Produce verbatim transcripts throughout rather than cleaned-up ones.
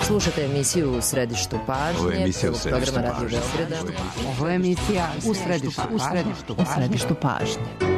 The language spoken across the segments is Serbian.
Slušate emisiju U središtu pažnje. Ovo je emisija U središtu programa pažnje. Radio Beograda. Ovo je emisija U središtu, u središtu, u središtu pažnje.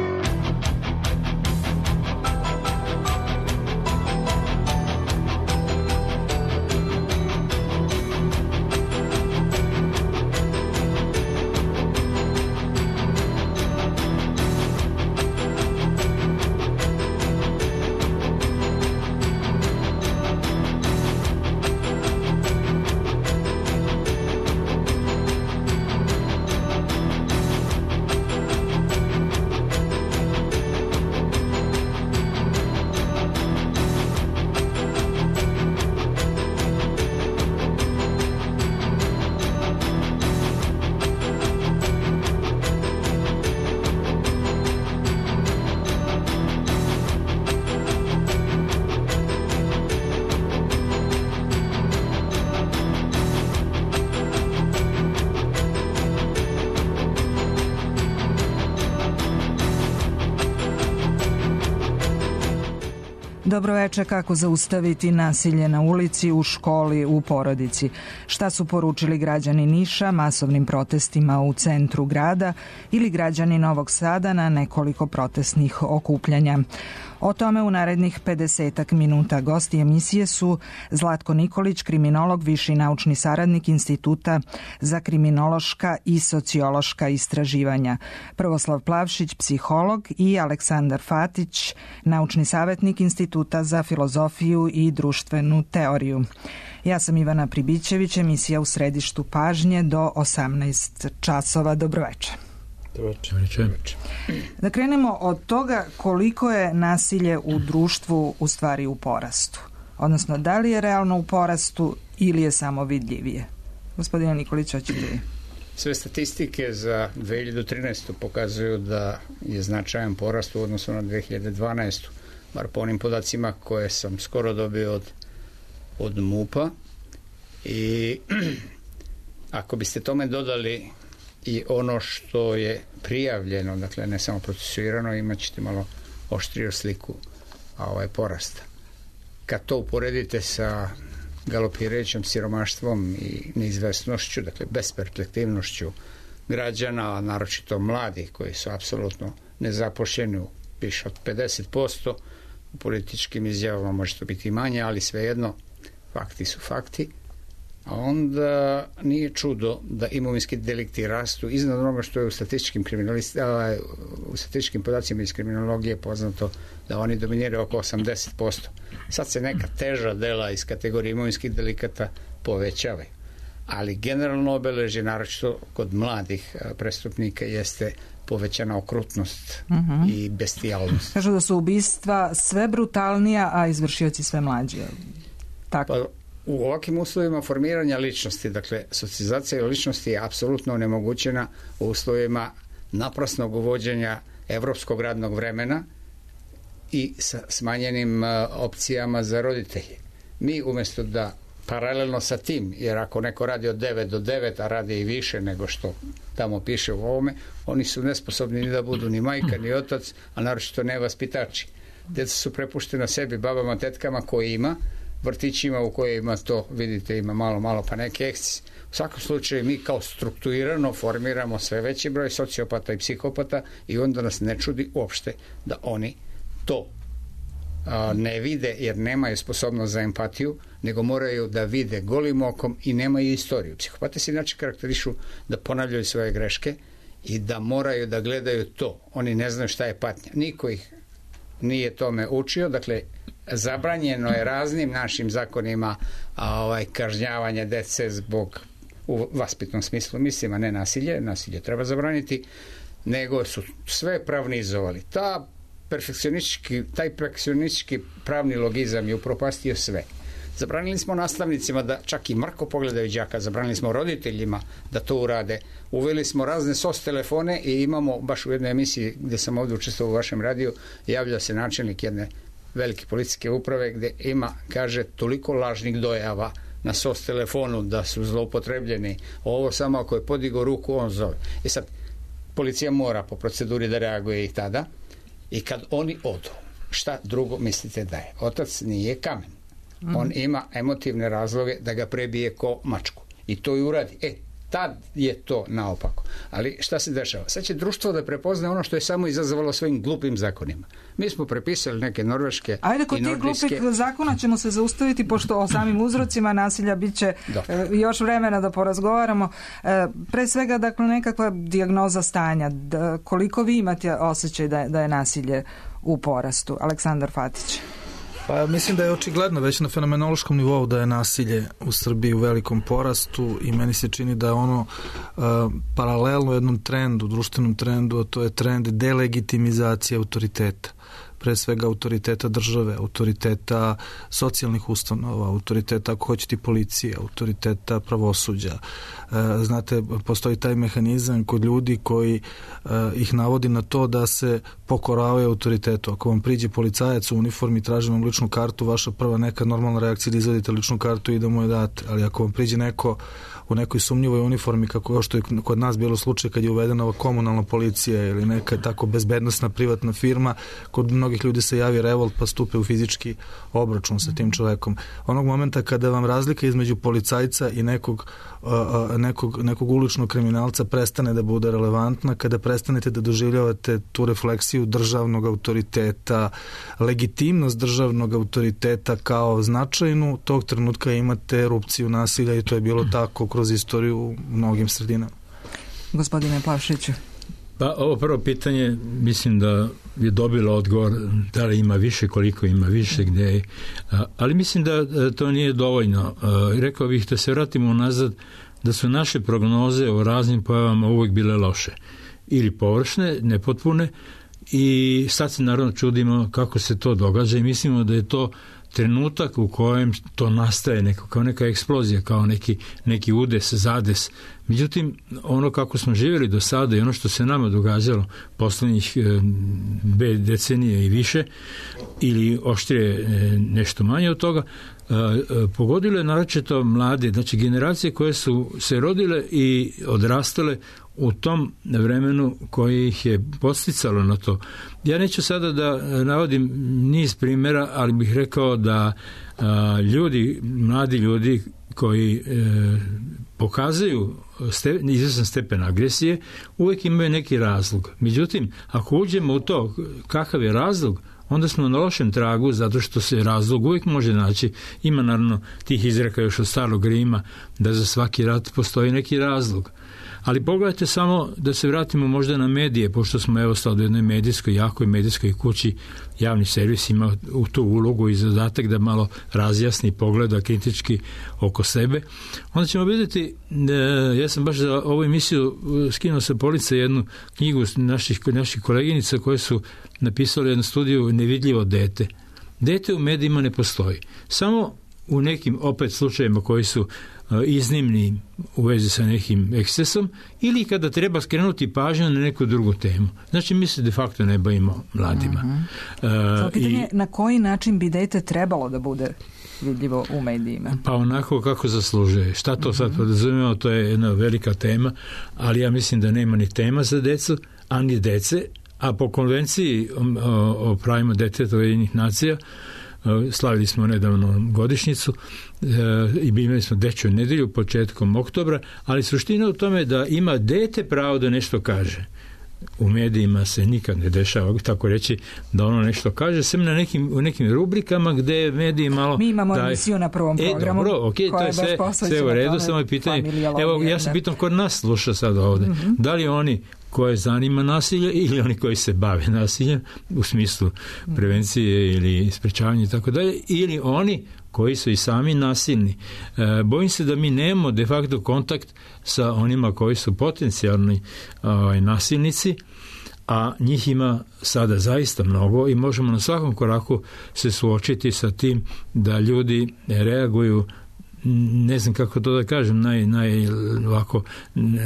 Dobro večer, kako zaustaviti nasilje na ulici, u školi, u porodici. Šta su poručili građani Niša masovnim protestima u centru grada ili građani Novog Sada na nekoliko protestnih okupljanja. O tome u narednih pedesetak minuta. Gosti emisije su Zlatko Nikolić, kriminolog, viši naučni saradnik Instituta za kriminološka i sociološka istraživanja, Prvoslav Plavšić, psiholog, i Aleksandar Fatić, naučni savjetnik Instituta za filozofiju i društvenu teoriju. Ja sam Ivana Pribićević, emisija U središtu pažnje do osamnaest časova. Dobroveče. Da krenemo od toga koliko je nasilje u društvu u stvari u porastu. Odnosno, da li je realno u porastu ili je samo vidljivije? Gospodine Nikolić, hoćete li? Sve statistike za dve hiljade trinaestu pokazuju da je značajan porast u odnosu na dve hiljade dvanaestu. Bar po onim podacima koje sam skoro dobio od, od MUP-a. I ako biste tome dodali i ono što je prijavljeno, dakle ne samo procesuirano, imat ćete malo oštriju sliku ovaj porasta. Kad to uporedite sa galopirajućim siromaštvom i neizvesnošću, dakle besperspektivnošću građana, a naročito mladih koji su apsolutno nezaposleni u više od pedeset posto, u političkim izjavama može to biti manje, ali svejedno fakti su fakti. A onda nije čudo da imovinski delikti rastu iznad onoga što je u statističkim, u statističkim podacima iz kriminologije poznato da oni dominiraju oko osamdeset posto. Sad se neka teža dela iz kategorije imovinskih delikata povećavaju. Ali generalno obeležje, naročito kod mladih prestupnika, jeste povećana okrutnost uh-huh. i bestijalnost. Kažu da su ubistva sve brutalnija, a izvršioci sve mlađi. Tako. Pa, u ovakvim uslovima formiranja ličnosti, dakle, socijalizacija ličnosti je apsolutno onemogućena u uslovima naprasnog uvođenja evropskog radnog vremena i sa smanjenim uh, opcijama za roditelje. Mi umjesto da paralelno sa tim, jer ako neko radi od devet do devet, a radi i više nego što tamo piše u ovome, oni su nesposobni ni da budu ni majka, ni otac, a naročito ne vaspitači. Djeca su prepuštena sebi, babama, tetkama koji ima, vrtićima u kojima to, vidite, ima malo, malo pa neki eksces. U svakom slučaju mi kao strukturirano formiramo sve veći broj sociopata i psihopata i onda nas ne čudi uopšte da oni to a, ne vide jer nemaju sposobnost za empatiju, nego moraju da vide golim okom i nemaju istoriju. Psihopate se inače karakterišu da ponavljaju svoje greške i da moraju da gledaju to. Oni ne znaju šta je patnja. Niko ih nije tome učio, dakle zabranjeno je raznim našim zakonima a, ovaj, kažnjavanje dece zbog, u vaspitnom smislu mislim, a ne nasilje, nasilje treba zabraniti, nego su sve pravnizovali. Ta perfekcionistički, taj perfekcionistički pravni logizam je upropastio sve. Zabranili smo nastavnicima da čak i mrko pogledaju đaka, zabranili smo roditeljima da to urade, uveli smo razne S O S telefone i imamo, baš u jednoj emisiji gdje sam ovdje učestvovao u vašem radiju, javlja se načelnik jedne velike policijske uprave gdje ima, kaže, toliko lažnih dojava na S O S telefonu da su zloupotrebljeni. Ovo samo ako je podigao ruku, on zove. I sad, policija mora po proceduri da reaguje i tada. I kad oni odu, šta drugo mislite da je? Otac nije kamen. mm. on ima emotivne razloge da ga prebije ko mačku. I to i uradi. E, tad je to naopako. Ali šta se dešava? Sad će društvo da prepozna ono što je samo izazvalo svojim glupim zakonima. Mi smo prepisali neke norveške Ajde, kod i nordijske... tih glupih zakona ćemo se zaustaviti, pošto o samim uzrocima nasilja bit će e, još vremena da porazgovaramo. E, pre svega, dakle, nekakva dijagnoza stanja. Da, koliko vi imate osjećaj da je, da je nasilje u porastu? Aleksandar Fatić. Pa mislim da je očigledno već na fenomenološkom nivou da je nasilje u Srbiji u velikom porastu i meni se čini da je ono uh, paralelno jednom trendu, društvenom trendu, a to je trend delegitimizacije autoriteta. Pre svega autoriteta države, autoriteta socijalnih ustanova, autoriteta, ako hoćete, policije, autoriteta pravosuđa. E, znate, postoji taj mehanizam kod ljudi koji e, ih navodi na to da se pokoravaju autoritetu. Ako vam priđe policajac u uniformi, traži vam ličnu kartu, vaša prva neka normalna reakcija da izvadite ličnu kartu i da mu je date. Ali ako vam priđe neko u nekoj sumnjivoj uniformi, kako što je kod nas bilo slučaj kad je uvedena ova komunalna policija ili neka tako bezbednosna privatna firma, kod mnogih ljudi se javi revolt pa stupe u fizički obračun sa tim čovekom. Onog momenta kada vam razlika između policajca i nekog, uh, nekog, nekog uličnog kriminalca prestane da bude relevantna, kada prestanete da doživljavate tu refleksiju državnog autoriteta, legitimnost državnog autoriteta kao značajnu, tog trenutka imate erupciju nasilja i to je bilo tako kroz istoriju u mnogim sredinama. Gospodine Plavšiću. Pa ovo prvo pitanje mislim da je dobilo odgovor da li ima više, koliko ima više, gde je. Ali mislim da to nije dovoljno. Rekao bih da se vratimo nazad, da su naše prognoze o raznim pojavama uvijek bile loše. Ili površne, nepotpune, i sad se naravno čudimo kako se to događa i mislimo da je to trenutak u kojem to nastaje neko, kao neka eksplozija, kao neki, neki udes, zades. Međutim, ono kako smo živjeli do sada i ono što se nama događalo poslednjih e, decenije i više, ili oštrije e, nešto manje od toga, e, e, pogodilo je naročito mlade, znači generacije koje su se rodile i odrastale u tom vremenu koji ih je podsticalo na to. Ja neću sada da navodim niz primjera, ali bih rekao da a, ljudi, mladi ljudi koji e, pokazuju ste, izvestan stepen agresije, uvijek imaju neki razlog. Međutim, ako uđemo u to kakav je razlog, onda smo na lošem tragu, zato što se razlog uvijek može naći. Ima naravno tih izreka još od starog Rima da za svaki rat postoji neki razlog. Ali pogledajte samo da se vratimo možda na medije, pošto smo evo sad u jednoj medijskoj, jakoj medijskoj kući, javni servis ima u tu ulogu i zadatak da malo razjasni, pogleda kritički oko sebe. Onda ćemo vidjeti, ja sam baš za ovu emisiju skinuo sa police jednu knjigu naših, naših koleginica koje su napisali jednu studiju Nevidljivo dete. Dete u medijima ne postoji. Samo u nekim opet slučajima koji su iznimni u vezi sa nekim ekscesom ili kada treba skrenuti pažnju na neku drugu temu. Znači, mi se de facto ne bavimo mladima. Uh-huh. Uh, pitanje i, na koji način bi dete trebalo da bude vidljivo u medijima? Pa onako kako zaslužuje. Šta to uh-huh. sad podrazumijemo, to je jedna velika tema, ali ja mislim da nema ni tema za decu, a ni dece, a po konvenciji o, o, o pravima deteta Ujedinjenih nacija slavili smo nedavno godišnjicu e, i imali smo dečju nedelju početkom oktobra, ali suština u tome da ima dete pravo da nešto kaže. U medijima se nikad ne dešava, tako reći, da ono nešto kaže, sem na nekim, u nekim rubrikama gde mediji malo... Mi imamo daj... emisiju na prvom programu. E, dobro, ok, to je sve, sve u redu, samo je pitanje. Evo, ja se pitam ko nas sluša sad ovde. Mm-hmm. Da li oni koje zanima nasilje ili oni koji se bave nasiljem u smislu prevencije ili sprečavanja i tako dalje, ili oni koji su i sami nasilni. E, bojim se da mi nemamo de facto kontakt sa onima koji su potencijalni ovaj, nasilnici, a njih ima sada zaista mnogo i možemo na svakom koraku se suočiti sa tim da ljudi reaguju, ne znam kako to da kažem, naj, naj ovako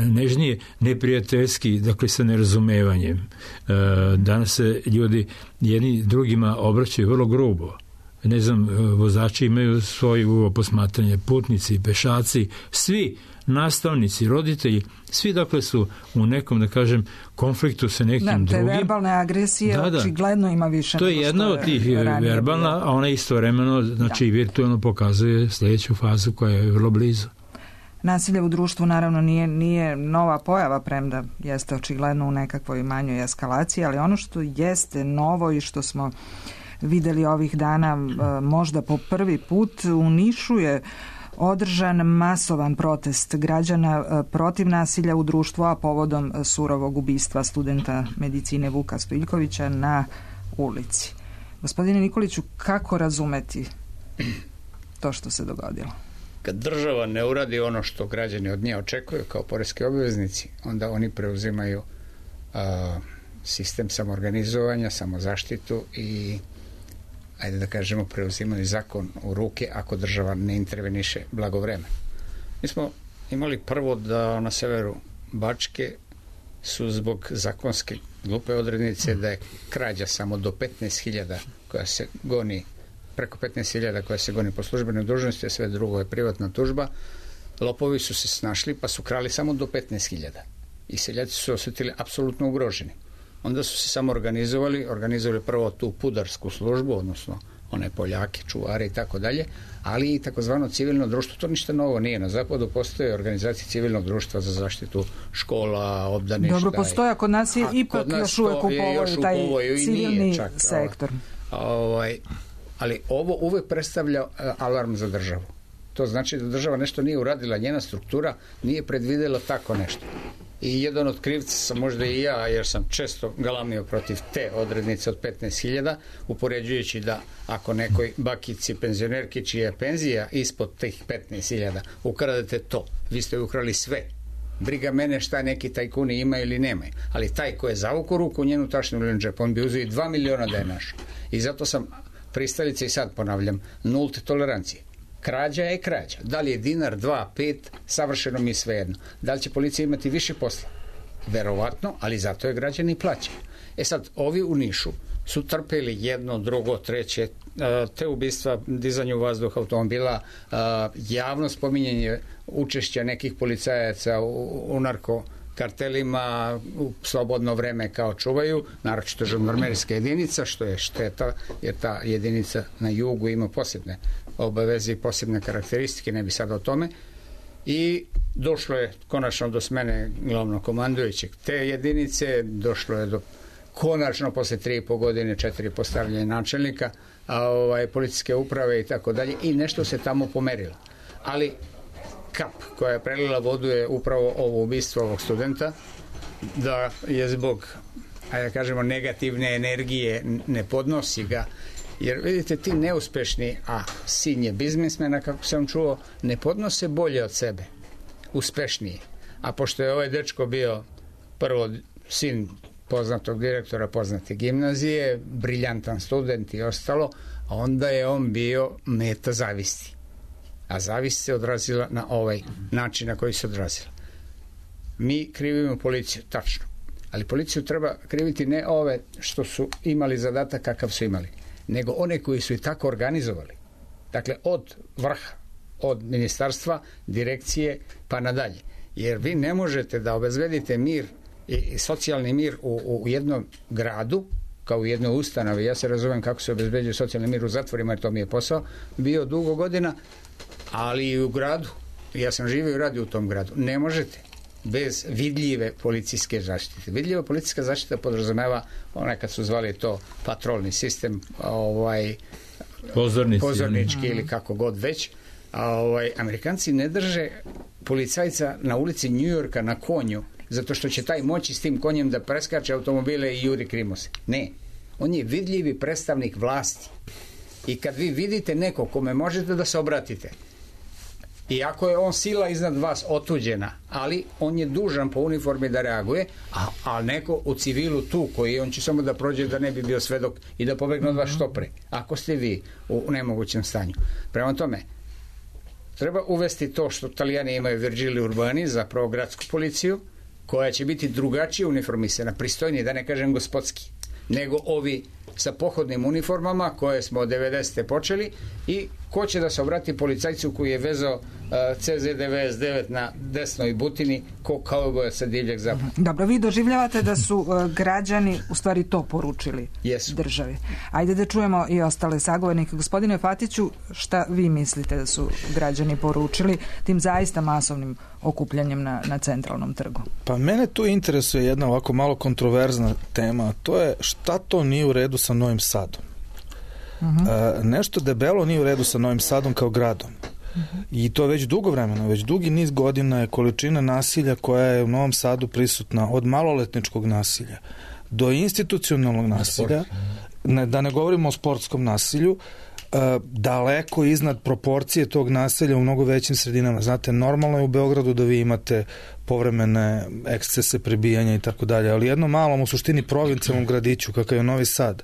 nežnije, neprijateljski, dakle sa nerazumevanjem. E, danas se ljudi jedni drugima obraćaju vrlo grubo. ne znam, vozači imaju svoj ugao posmatranja, putnici, pešaci, svi nastavnici, roditelji, svi dakle su u nekom, da kažem, konfliktu sa nekim da, drugim. Te verbalne agresije da, da. očigledno ima više. To je jedna od tih verbalna, a ona istovremeno, znači, da. virtualno pokazuje sljedeću fazu koja je vrlo blizu. Nasilje u društvu naravno nije, nije nova pojava, premda jeste očigledno u nekakvoj manjoj eskalaciji, ali ono što jeste novo i što smo videli ovih dana možda po prvi put u Nišu je održan masovan protest građana protiv nasilja u društvu, a povodom surovog ubistva studenta medicine Vuka Stojiljkovića na ulici. Gospodine Nikoliću, kako razumeti to što se dogodilo? Kad država ne uradi ono što građani od nje očekuju kao poreski obveznici, onda oni preuzimaju uh, sistem samoorganizovanja, samozaštitu i, ajde da kažemo, preuzimaju zakon u ruke ako država ne interveniše blagovremeno. Mi smo imali prvo da na severu Bačke su zbog zakonske glupe odrednice da je krađa samo do petnaest hiljada koja se goni, preko petnaest hiljada koja se goni po službenoj dužnosti, a sve drugo je privatna tužba. Lopovi su se snašli pa su krali samo do petnaest hiljada. I seljaci su osjetili apsolutno ugroženi. Onda su se samo organizovali, organizovali prvo tu pudarsku službu, odnosno one Poljake, čuvare i tako dalje, ali i takozvano civilno društvo. To ništa novo nije. Na zapadu postoje organizacije civilnog društva za zaštitu škola, obdaništa. Dobro, postoje, a kod nas je ipak nas još uvek u povoju taj civilni čak, sektor. Ovaj, ali ovo uvek predstavlja alarm za državu. To znači da država nešto nije uradila, njena struktura nije predvidela tako nešto. I jedan od krivca sam možda i ja, jer sam često galamio protiv te odrednice od petnaest hiljada, upoređujući da ako nekoj bakici penzionerki čija je penzija ispod tih petnaest hiljada, ukradete to, vi ste ukrali sve. Briga mene šta neki tajkuni ima ili nemaju. Ali taj ko je zavuku ruku u njenu tašnu ili džep, on bi uzeo i dva miliona da je naš. I zato sam pristalica i sad ponavljam, nulte tolerancije. Krađa je krađa. Da li je dinar, dva, pet, savršeno mi je svejedno. Da li će policija imati više posla? Verovatno, ali zato je građani plaćaju. E sad, ovi u Nišu su trpeli jedno, drugo, treće, te ubistva, dizanje u vazduh automobila, javno spominjanje učešća nekih policajaca u, u narko kartelima u slobodno vreme kao čuvaju, naročito žandarmerijska jedinica, što je šteta, jer ta jedinica na jugu ima posebne obaveze i posebne karakteristike, ne bi sad o tome. I došlo je konačno do smene glavnog komandujućeg te jedinice, došlo je do konačno posle tri i po godine četiri postavljanja načelnika, a ovaj, policijske uprave i tako dalje, i nešto se tamo pomerilo. Ali kap koja je prelila vodu je upravo ovo ubistvo ovog studenta, da je zbog, ajde da kažemo, negativne energije ne podnosi ga, jer vidite, ti neuspešni, a sin je biznismena, kako sam čuo, ne podnose bolje od sebe, uspešniji. A pošto je ovaj dečko bio prvo sin poznatog direktora poznate gimnazije, briljantan student i ostalo, a onda je on bio meta zavisti. A zavist se odrazila na ovaj način na koji se odrazila. Mi krivimo policiju, tačno. Ali policiju treba kriviti ne ove što su imali zadatak kakav su imali, nego one koji su i tako organizovali. Dakle, od vrha, od ministarstva, direkcije, pa nadalje. Jer vi ne možete da obezbedite mir i socijalni mir u, u jednom gradu, kao u jednoj ustanovi. Ja se razumem kako se obezbeđuje socijalni mir u zatvorima, jer to mi je posao bio dugo godina, ali i u gradu. Ja sam živio i radio u tom gradu. Ne možete bez vidljive policijske zaštite. Vidljiva policijska zaštita podrazumeva, nekad su zvali to patrolni sistem, ovaj, Pozornici, pozornički ili kako god već. A, ovaj, Amerikanci ne drže policajca na ulici Njujorka na konju, zato što će taj moći s tim konjem da preskače automobile i juri krimose. Ne. On je vidljivi predstavnik vlasti. I kad vi vidite neko kome možete da se obratite, iako je on sila iznad vas otuđena, ali on je dužan po uniformi da reaguje, a, a neko u civilu tu koji on će samo da prođe da ne bi bio svedok i da pobegne od vas što pre, ako ste vi u nemogućem stanju. Prema tome, treba uvesti to što Italijani imaju Virgilio Urbani, zapravo gradsku policiju, koja će biti drugačije uniformisana, pristojnije, da ne kažem gospodski, nego ovi sa pohodnim uniformama koje smo od devedesete počeli i ko će da se obrati policajcu koji je vezao uh, C Z devedeset devet na desnoj butini ko kauboja sa divljeg zapada. Dobro, vi doživljavate da su uh, građani u stvari to poručili Jesu. državi. Ajde da čujemo i ostale sagovornike. Gospodine Fatiću, šta vi mislite da su građani poručili tim zaista masovnim okupljanjem na, na centralnom trgu? Pa mene tu interesuje jedna ovako malo kontroverzna tema, a to je šta to nije u redu sa Novim Sadom. Uh-huh. E, nešto debelo nije u redu sa Novim Sadom kao gradom. Uh-huh. I to već dugo vremena, već dugi niz godina je količina nasilja koja je u Novom Sadu prisutna od maloletničkog nasilja do institucionalnog nasilja, ne, da ne govorimo o sportskom nasilju, daleko iznad proporcije tog naselja u mnogo većim sredinama. Znate, normalno je u Beogradu da vi imate povremene ekscese, prebijanja i tako dalje, ali jednom malom u suštini provincijalnom gradiću kakav je Novi Sad,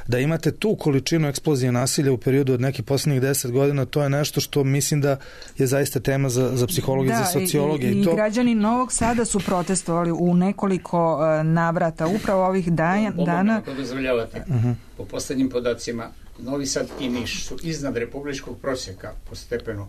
da imate tu količinu eksplozije nasilja u periodu od nekih posljednjih deset godina, to je nešto što mislim da je zaista tema za, za psihologiju i za sociologiju. I, i, i to... građani Novog Sada su protestovali u nekoliko uh, navrata upravo ovih dana. dana... Ako dozvoljavate, uh-huh. po poslednjim podacima Novi Sad i Niš su iznad republičkog prosjeka po stepenu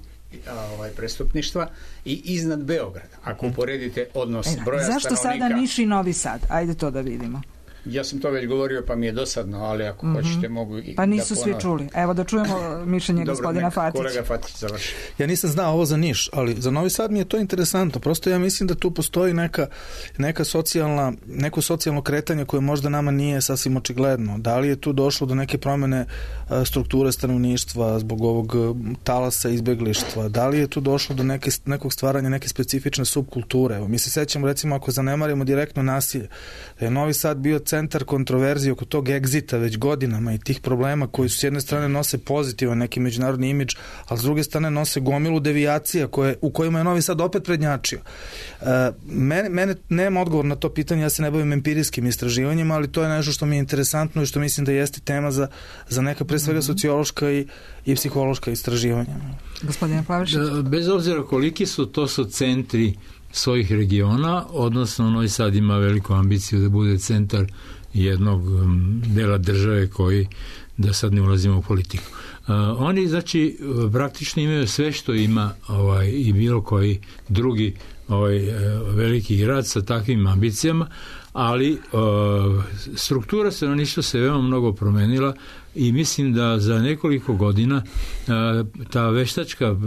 ovaj, prestupništva i iznad Beograda. Ako uporedite odnos e, broja zašto stanovnika... Zašto sada Niš i Novi Sad? Ajde to da vidimo. Ja sam to već govorio, pa mi je dosadno, ali ako mm-hmm. hoćete mogu i pa nisu da svi čuli. Evo da čujemo mišljenje Dobro, gospodina Fatića. Kolega Fatić završi. Ja nisam znao ovo za Niš, ali za Novi Sad mi je to interesantno. Prosto ja mislim da tu postoji neka, neka socijalna, neko socijalno kretanje koje možda nama nije sasvim očigledno. Da li je tu došlo do neke promene strukture stanovništva zbog ovog talasa izbeglištva? Da li je tu došlo do neke, nekog stvaranja neke specifične subkulture? Evo, mi se sećamo, recimo, ako zanemarimo direktno nasilje, da je Novi Sad bio centar kontroverzije oko tog egzita već godinama i tih problema koji su s jedne strane nose pozitivan neki međunarodni imidž, a s druge strane nose gomilu devijacija koje, u kojima je Novi Sad opet prednjačio. E, mene, mene nema odgovor na to pitanje, ja se ne bavim empirijskim istraživanjima, ali to je nešto što mi je interesantno i što mislim da jeste tema za, za neka pre svega sociološka i, i psihološka istraživanja. Gospodine Plavšić? Bez obzira koliki su, to su centri svojih regiona, odnosno Novi Sad ima veliku ambiciju da bude centar jednog dela države koji, da sad ne ulazimo u politiku. Uh, oni, znači, praktično imaju sve što ima ovaj, i bilo koji drugi ovaj, veliki grad sa takvim ambicijama, ali uh, struktura stanovništva se veoma mnogo promenila i mislim da za nekoliko godina uh, ta veštačka uh,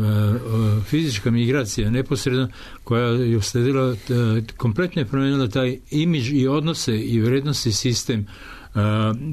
fizička migracija neposredno koja je usledila uh, kompletno je promenila taj imidž i odnose i vrednosti sistem, uh,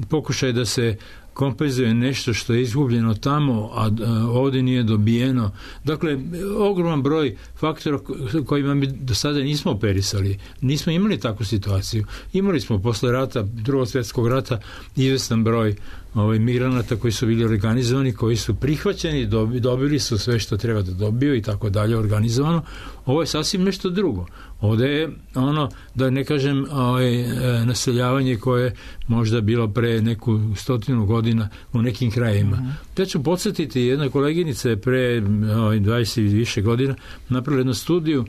pokušaj da se kompenzuje nešto što je izgubljeno tamo, a ovdje nije dobijeno. Dakle, ogroman broj faktora kojima mi do sada nismo operisali. Nismo imali takvu situaciju. Imali smo posle rata, drugog svjetskog rata, izvestan broj ovaj, migranata koji su bili organizovani, koji su prihvaćeni, dobili su sve što treba da dobiju i tako dalje organizovano. Ovo je sasvim nešto drugo. Ovdje je ono, da ne kažem, ovaj, naseljavanje koje je možda bilo pre neku stotinu godina u nekim krajima. Mm-hmm. Ja ću podsjetiti, jedna koleginica je pre ovaj, dvadeset i više godina napravila jednu studiju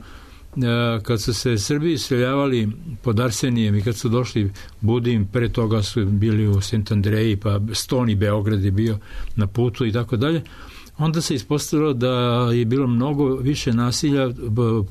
kad su se Srbi iseljavali pod Arsenijem i kad su došli Budim, pre toga su bili u Sent Andreji, pa Stoni, Beograd je bio na putu i tako dalje. Onda se ispostavilo da je bilo mnogo više nasilja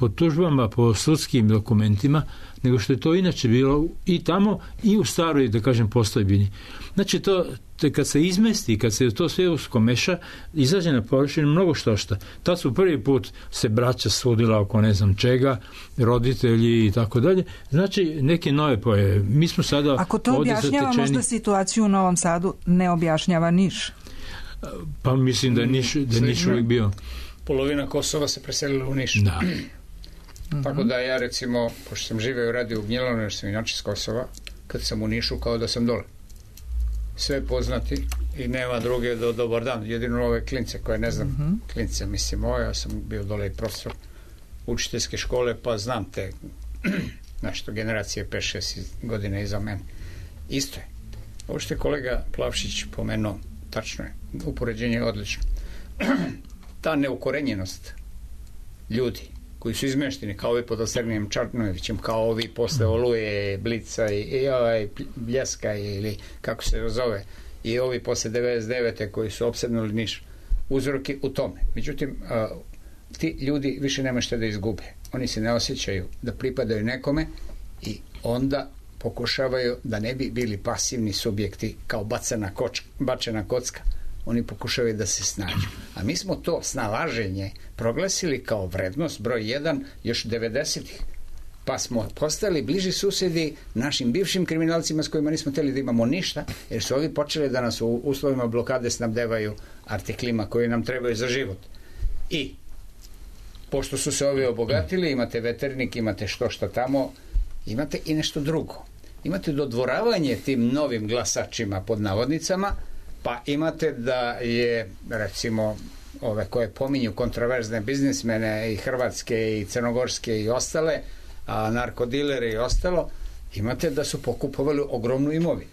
po tužbama, po sudskim dokumentima, nego što je to inače bilo i tamo i u staroj, da kažem, postojbini. Znači, to, te kad se izmesti, kad se to sve uskomeša, izađe na površinu mnogo što šta. Tad su prvi put se braća sudila oko ne znam čega, roditelji i tako dalje. Znači, neke nove pojave. Mi smo sada... Ako to objašnjava zatečeni... možda situaciju u Novom Sadu, ne objašnjava Niš? Pa mislim da je Niš, da je Niš uvijek bio. Polovina Kosova se preselila u Niš. Da. Tako da ja, recimo, pošto sam živeo i radio u Gnjilanu, jer sam inače s Kosova, kad sam u Nišu, kao da sam dole. Sve poznati i nema druge do dobar dan. Jedino ove klince koje ne znam, mm-hmm. klince, mislim, ovo, ja sam bio dole i profesor učiteljske škole, pa znam te nešto generacije pet šest godine iza mene. Isto je. Ovo što je kolega Plavšić pomenuo, tačno je. Upoređenje je odlično. Ta neukorenjenost ljudi koji su izmešteni, kao ovi pod Osrnijem Čarnojevićem, kao ovi posle Oluje, Blica i, i ovaj Bljeska ili kako se zove, i ovi posle devedeset devete koji su opsednuli Niš, uzroki u tome. Međutim, a, ti ljudi više nema šta da izgube. Oni se ne osjećaju da pripadaju nekome i onda pokušavaju da ne bi bili pasivni subjekti kao bacana koč, bačena kocka. Oni pokušavaju da se snađu. A mi smo to snalaženje proglasili kao vrednost broj jedan još devedesetih. Pa smo postali bliži susedi našim bivšim kriminalcima s kojima nismo hteli da imamo ništa, jer su ovi počeli da nas u uslovima blokade snabdevaju artiklima koji nam trebaju za život. I pošto su se ovi obogatili, imate veternik, imate što šta tamo, imate i nešto drugo. Imate dodvoravanje tim novim glasačima pod navodnicama, pa imate da je, recimo, ove koje pominju kontraverzne biznismene i hrvatske i crnogorske i ostale, a narkodilere i ostalo, imate da su pokupovali ogromnu imovinu.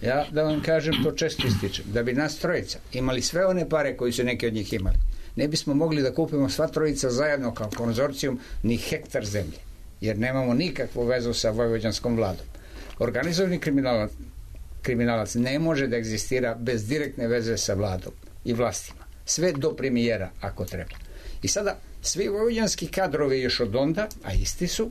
Ja da vam kažem, to često ističem, da bi nas trojica imali sve one pare koji su neki od njih imali, ne bismo mogli da kupimo sva trojica zajedno kao konzorcijum ni hektar zemlje, jer nemamo nikakvu vezu sa vojvođanskom vladom. Organizovani kriminalac, kriminalac ne može da egzistira bez direktne veze sa vladom i vlastima. Sve do premijera, ako treba. I sada, svi vojvođanski kadrovi još od onda, a isti su,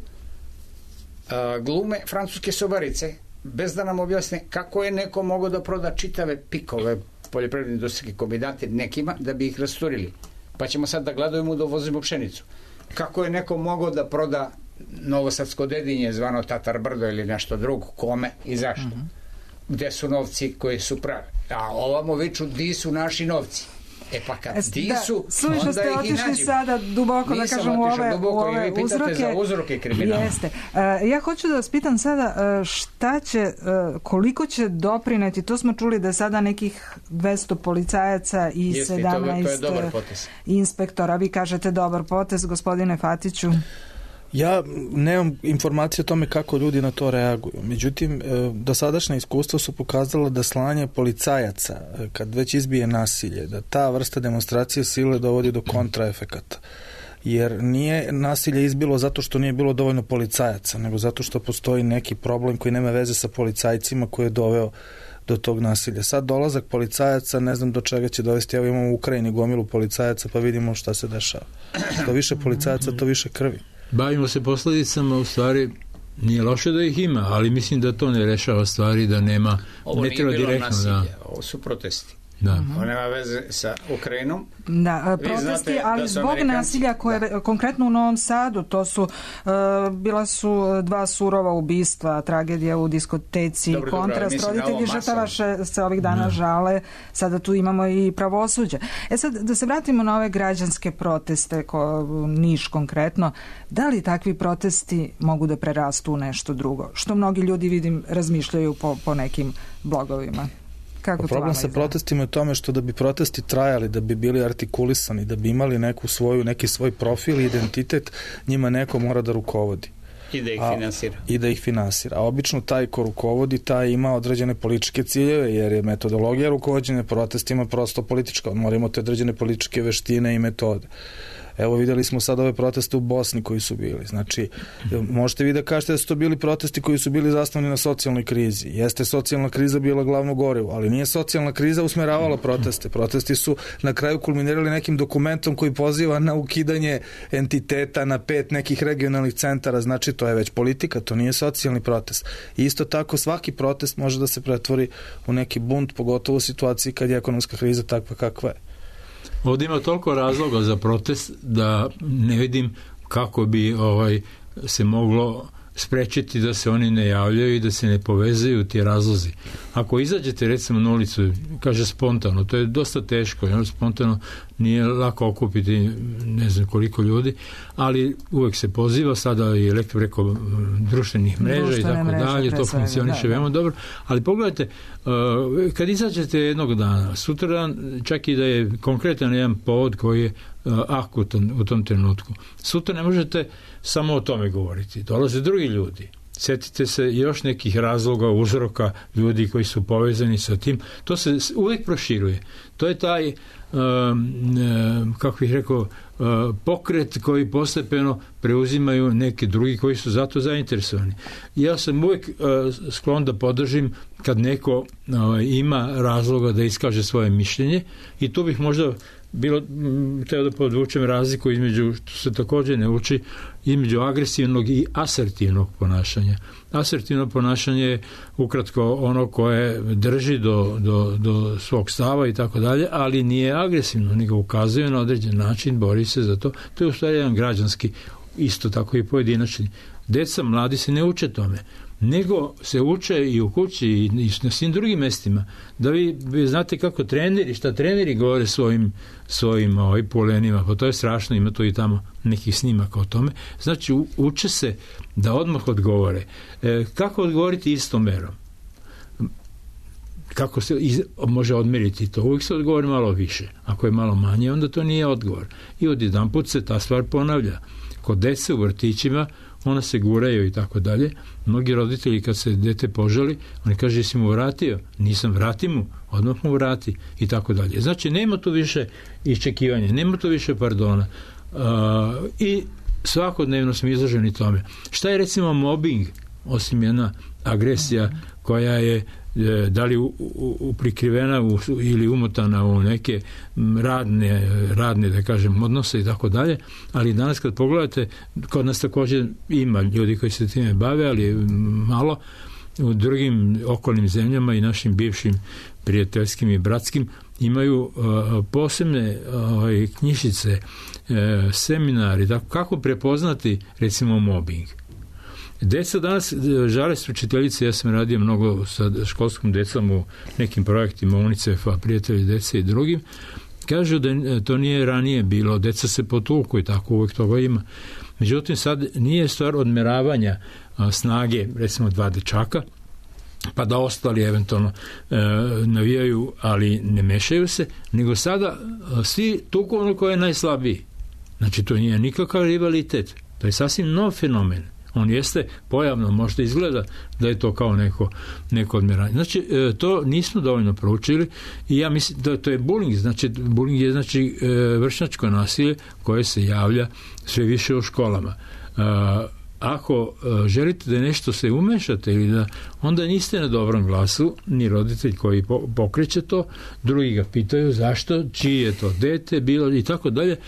a, glume francuske sobarice, bez da nam objasne kako je neko mogao da proda čitave pikove poljoprivredne industrijske kombinate nekima da bi ih rasturili. Pa ćemo sad da gladujemo da uvozimo pšenicu. Kako je neko mogao da proda Novosadsko Dedinje, zvano Tatar Brdo ili nešto drugo, kome i zašto? Mm-hmm. Gde su novci koji su pravi? A ovamo viču, di su naši novci? E pa kad es, di da, su, suviše onda ste ih i otišli nađemo. sada duboko, Nisam da kažem, u ove, duboko, u ove i vi pitate uzroke. za uzroke kriminala. Jeste. Uh, ja hoću da vas pitam sada uh, šta će, uh, koliko će doprineti, to smo čuli da je sada nekih dvesta policajaca i Jeste, sedamnaest to, to je dobar potez. inspektora. Vi kažete dobar potez, gospodine Fatiću. Ja nemam informacije o tome kako ljudi na to reaguju. Međutim, dosadašnja iskustva su pokazala da slanje policajaca, kad već izbije nasilje, da ta vrsta demonstracije sile dovodi do kontraefekata. Jer nije nasilje izbilo zato što nije bilo dovoljno policajaca, nego zato što postoji neki problem koji nema veze sa policajcima koji je doveo do tog nasilja. Sad dolazak policajaca, ne znam do čega će dovesti. Evo imamo u Ukrajini gomilu policajaca, pa vidimo šta se dešava. Što više policajaca, to više krvi. Bavimo se posledicama, u stvari nije loše da ih ima, ali mislim da to ne rešava stvari, da nema, ovo ne treba direktno. Nasilje, da. ovo su protesti. Da. Ovo nema veze sa Ukrajinom. Da, protesti, ali zbog nasilja koje da. Konkretno u Novom Sadu, to su uh, bila su dva surova ubistva, tragedija u diskoteci, dobro, kontrast, dobro, roditelji žrtava se ovih dana da. žale, sada tu imamo i pravosuđe. E sad, da se vratimo na ove građanske proteste, ko, Niš konkretno, da li takvi protesti mogu da prerastu u nešto drugo? Što mnogi ljudi, vidim, razmišljaju po, po nekim blogovima. Kako problem sa protestima je u tome što da bi protesti trajali, da bi bili artikulisani, da bi imali neku svoju, neki svoj profil i identitet, njima neko mora da rukovodi. I da ih a, finansira. I da ih finansira. A obično taj ko rukovodi, taj ima određene političke ciljeve, jer je metodologija rukovođenja protestima prosto politička. On mora imati određene političke veštine i metode. Evo videli smo sad ove proteste u Bosni koji su bili. Znači, možete vi da kažete da su to bili protesti koji su bili zasnovani na socijalnoj krizi. Jeste socijalna kriza bila glavno gorivo, ali nije socijalna kriza usmeravala proteste. Protesti su na kraju kulminirali nekim dokumentom koji poziva na ukidanje entiteta na pet nekih regionalnih centara. Znači, to je već politika, to nije socijalni protest. I isto tako svaki protest može da se pretvori u neki bunt, pogotovo u situaciji kad je ekonomska kriza takva kakva je. Ovdje ima toliko razloga za protest da ne vidim kako bi ovaj se moglo sprečiti da se oni ne javljaju i da se ne povezuju ti razlozi. Ako izađete recimo na ulicu, kaže spontano, to je dosta teško, jer spontano nije lako okupiti ne znam koliko ljudi, ali uvek se poziva, sada i lektor preko društvenih mreža Društvene i tako mreže, dalje, to funkcioniše veoma dobro, ali pogledajte, uh, kad izađete jednog dana, sutradan, čak i da je konkretan jedan povod koji je uh, akutan u tom trenutku, sutra ne možete samo o tome govoriti, dolaze drugi ljudi. Sjetite se još nekih razloga, uzroka ljudi koji su povezani sa tim. To se uvijek proširuje. To je taj, um, um, kako bih rekao, pokret koji postepeno preuzimaju neki drugi koji su zato zainteresovani. Ja sam uvijek sklon da podržim kad neko ima razloga da iskaže svoje mišljenje i tu bih možda bilo, teo da podvučem razliku između, što se također ne uči, između agresivnog i asertivnog ponašanja. Asertivno ponašanje je ukratko ono koje drži do, do, do svog stava i tako dalje, ali nije agresivno, nego ukazuje na određen način, bori se za to. To je u stvari jedan građanski, isto tako i pojedinačni. Deca, mladi se ne uče tome, nego se uče i u kući i na svim drugim mestima. Da vi, vi znate kako treneri, šta treneri govore svojim, svojim ovaj, polenima, pa to je strašno, ima to i tamo nekih snimaka o tome. Znači, u, uče se da odmah odgovore. E, kako odgovoriti istom merom? Kako se iz, može odmeriti to? Uvijek se odgovori malo više. Ako je malo manje, onda to nije odgovor. I odjedanput se ta stvar ponavlja. Kod dece u vrtićima ona se guraju i tako dalje. Mnogi roditelji kad se dete požali, oni kaže, jesi mu vratio? Nisam, vrati mu, odmah mu vrati i tako dalje. Znači, nema tu više iščekivanja, nema tu više pardona. Uh, I svakodnevno smo izloženi tome. Šta je recimo mobbing, osim jedna agresija koja je da li u, u, u prikrivena u, ili umotana u neke radne, radne da kažem, odnose i tako dalje, ali danas kad pogledate, kod nas također ima ljudi koji se time bave, ali malo u drugim okolnim zemljama i našim bivšim prijateljskim i bratskim imaju uh, posebne uh, knjižice, uh, seminari, da, kako prepoznati recimo mobbing. Deca danas žale s učiteljice, ja sam radio mnogo sa školskom decom u nekim projektima UNICEF-a, prijatelji dece i drugim, kažu da to nije ranije bilo, deca se potuku i tako uvijek toga ima. Međutim, sad nije stvar odmeravanja a, snage, recimo dva dečaka, pa da ostali eventualno e, navijaju, ali ne mešaju se, nego sada a, svi tuku ono koje je najslabiji. Znači, to nije nikakav rivalitet, to je sasvim nov fenomen. On jeste pojavno, možda izgleda da je to kao neko, neko odmeranje. Znači, to nismo dovoljno proučili i ja mislim da to je bullying. Znači, bullying je znači vršnjačko nasilje koje se javlja sve više u školama. Ako želite da nešto se umešate ili da, onda niste na dobrom glasu, ni roditelj koji pokreće to, drugi ga pitaju zašto, čiji je to dete bilo i tako dalje, e,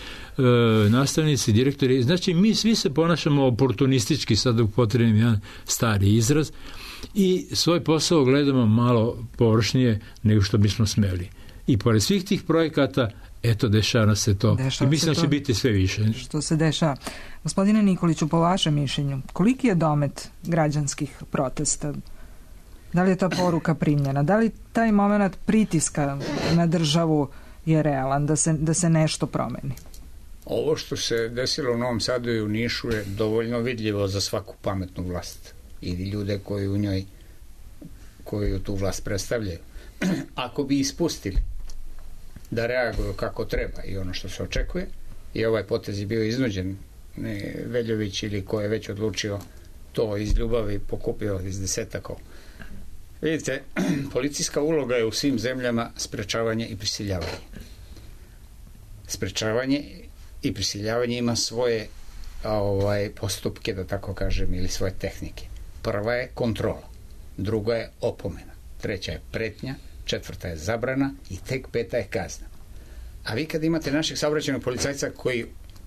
nastavnici, direktori, znači mi svi se ponašamo oportunistički, sad upotrebim jedan stari izraz, i svoj posao gledamo malo površnije nego što bismo smeli. I pored svih tih projekata, eto, dešava se to. Dešava I mislim da će biti sve više. Što se dešava. Gospodine Nikoliću, po vašem mišljenju, koliki je domet građanskih protesta? Da li je ta poruka primljena? Da li taj moment pritiska na državu je realan, da se, da se nešto promeni? Ovo što se desilo u Novom Sadu i u Nišu je dovoljno vidljivo za svaku pametnu vlast ili ljude koji u njoj koju tu vlast predstavljaju. Ako bi ispustili da reaguju kako treba i ono što se očekuje, i ovaj potez je bio iznuđen, ne Veljović ili ko je već odlučio to iz ljubavi pokupio iz desetaka. Vidite, policijska uloga je u svim zemljama sprečavanje i prisiljavanje. Sprečavanje i prisiljavanje ima svoje ovaj, postupke, da tako kažem, ili svoje tehnike. Prva je kontrola, druga je opomena, treća je pretnja, četvrta je zabrana i tek peta je kazna. A vi kad imate naših saobraćajnog policajca koji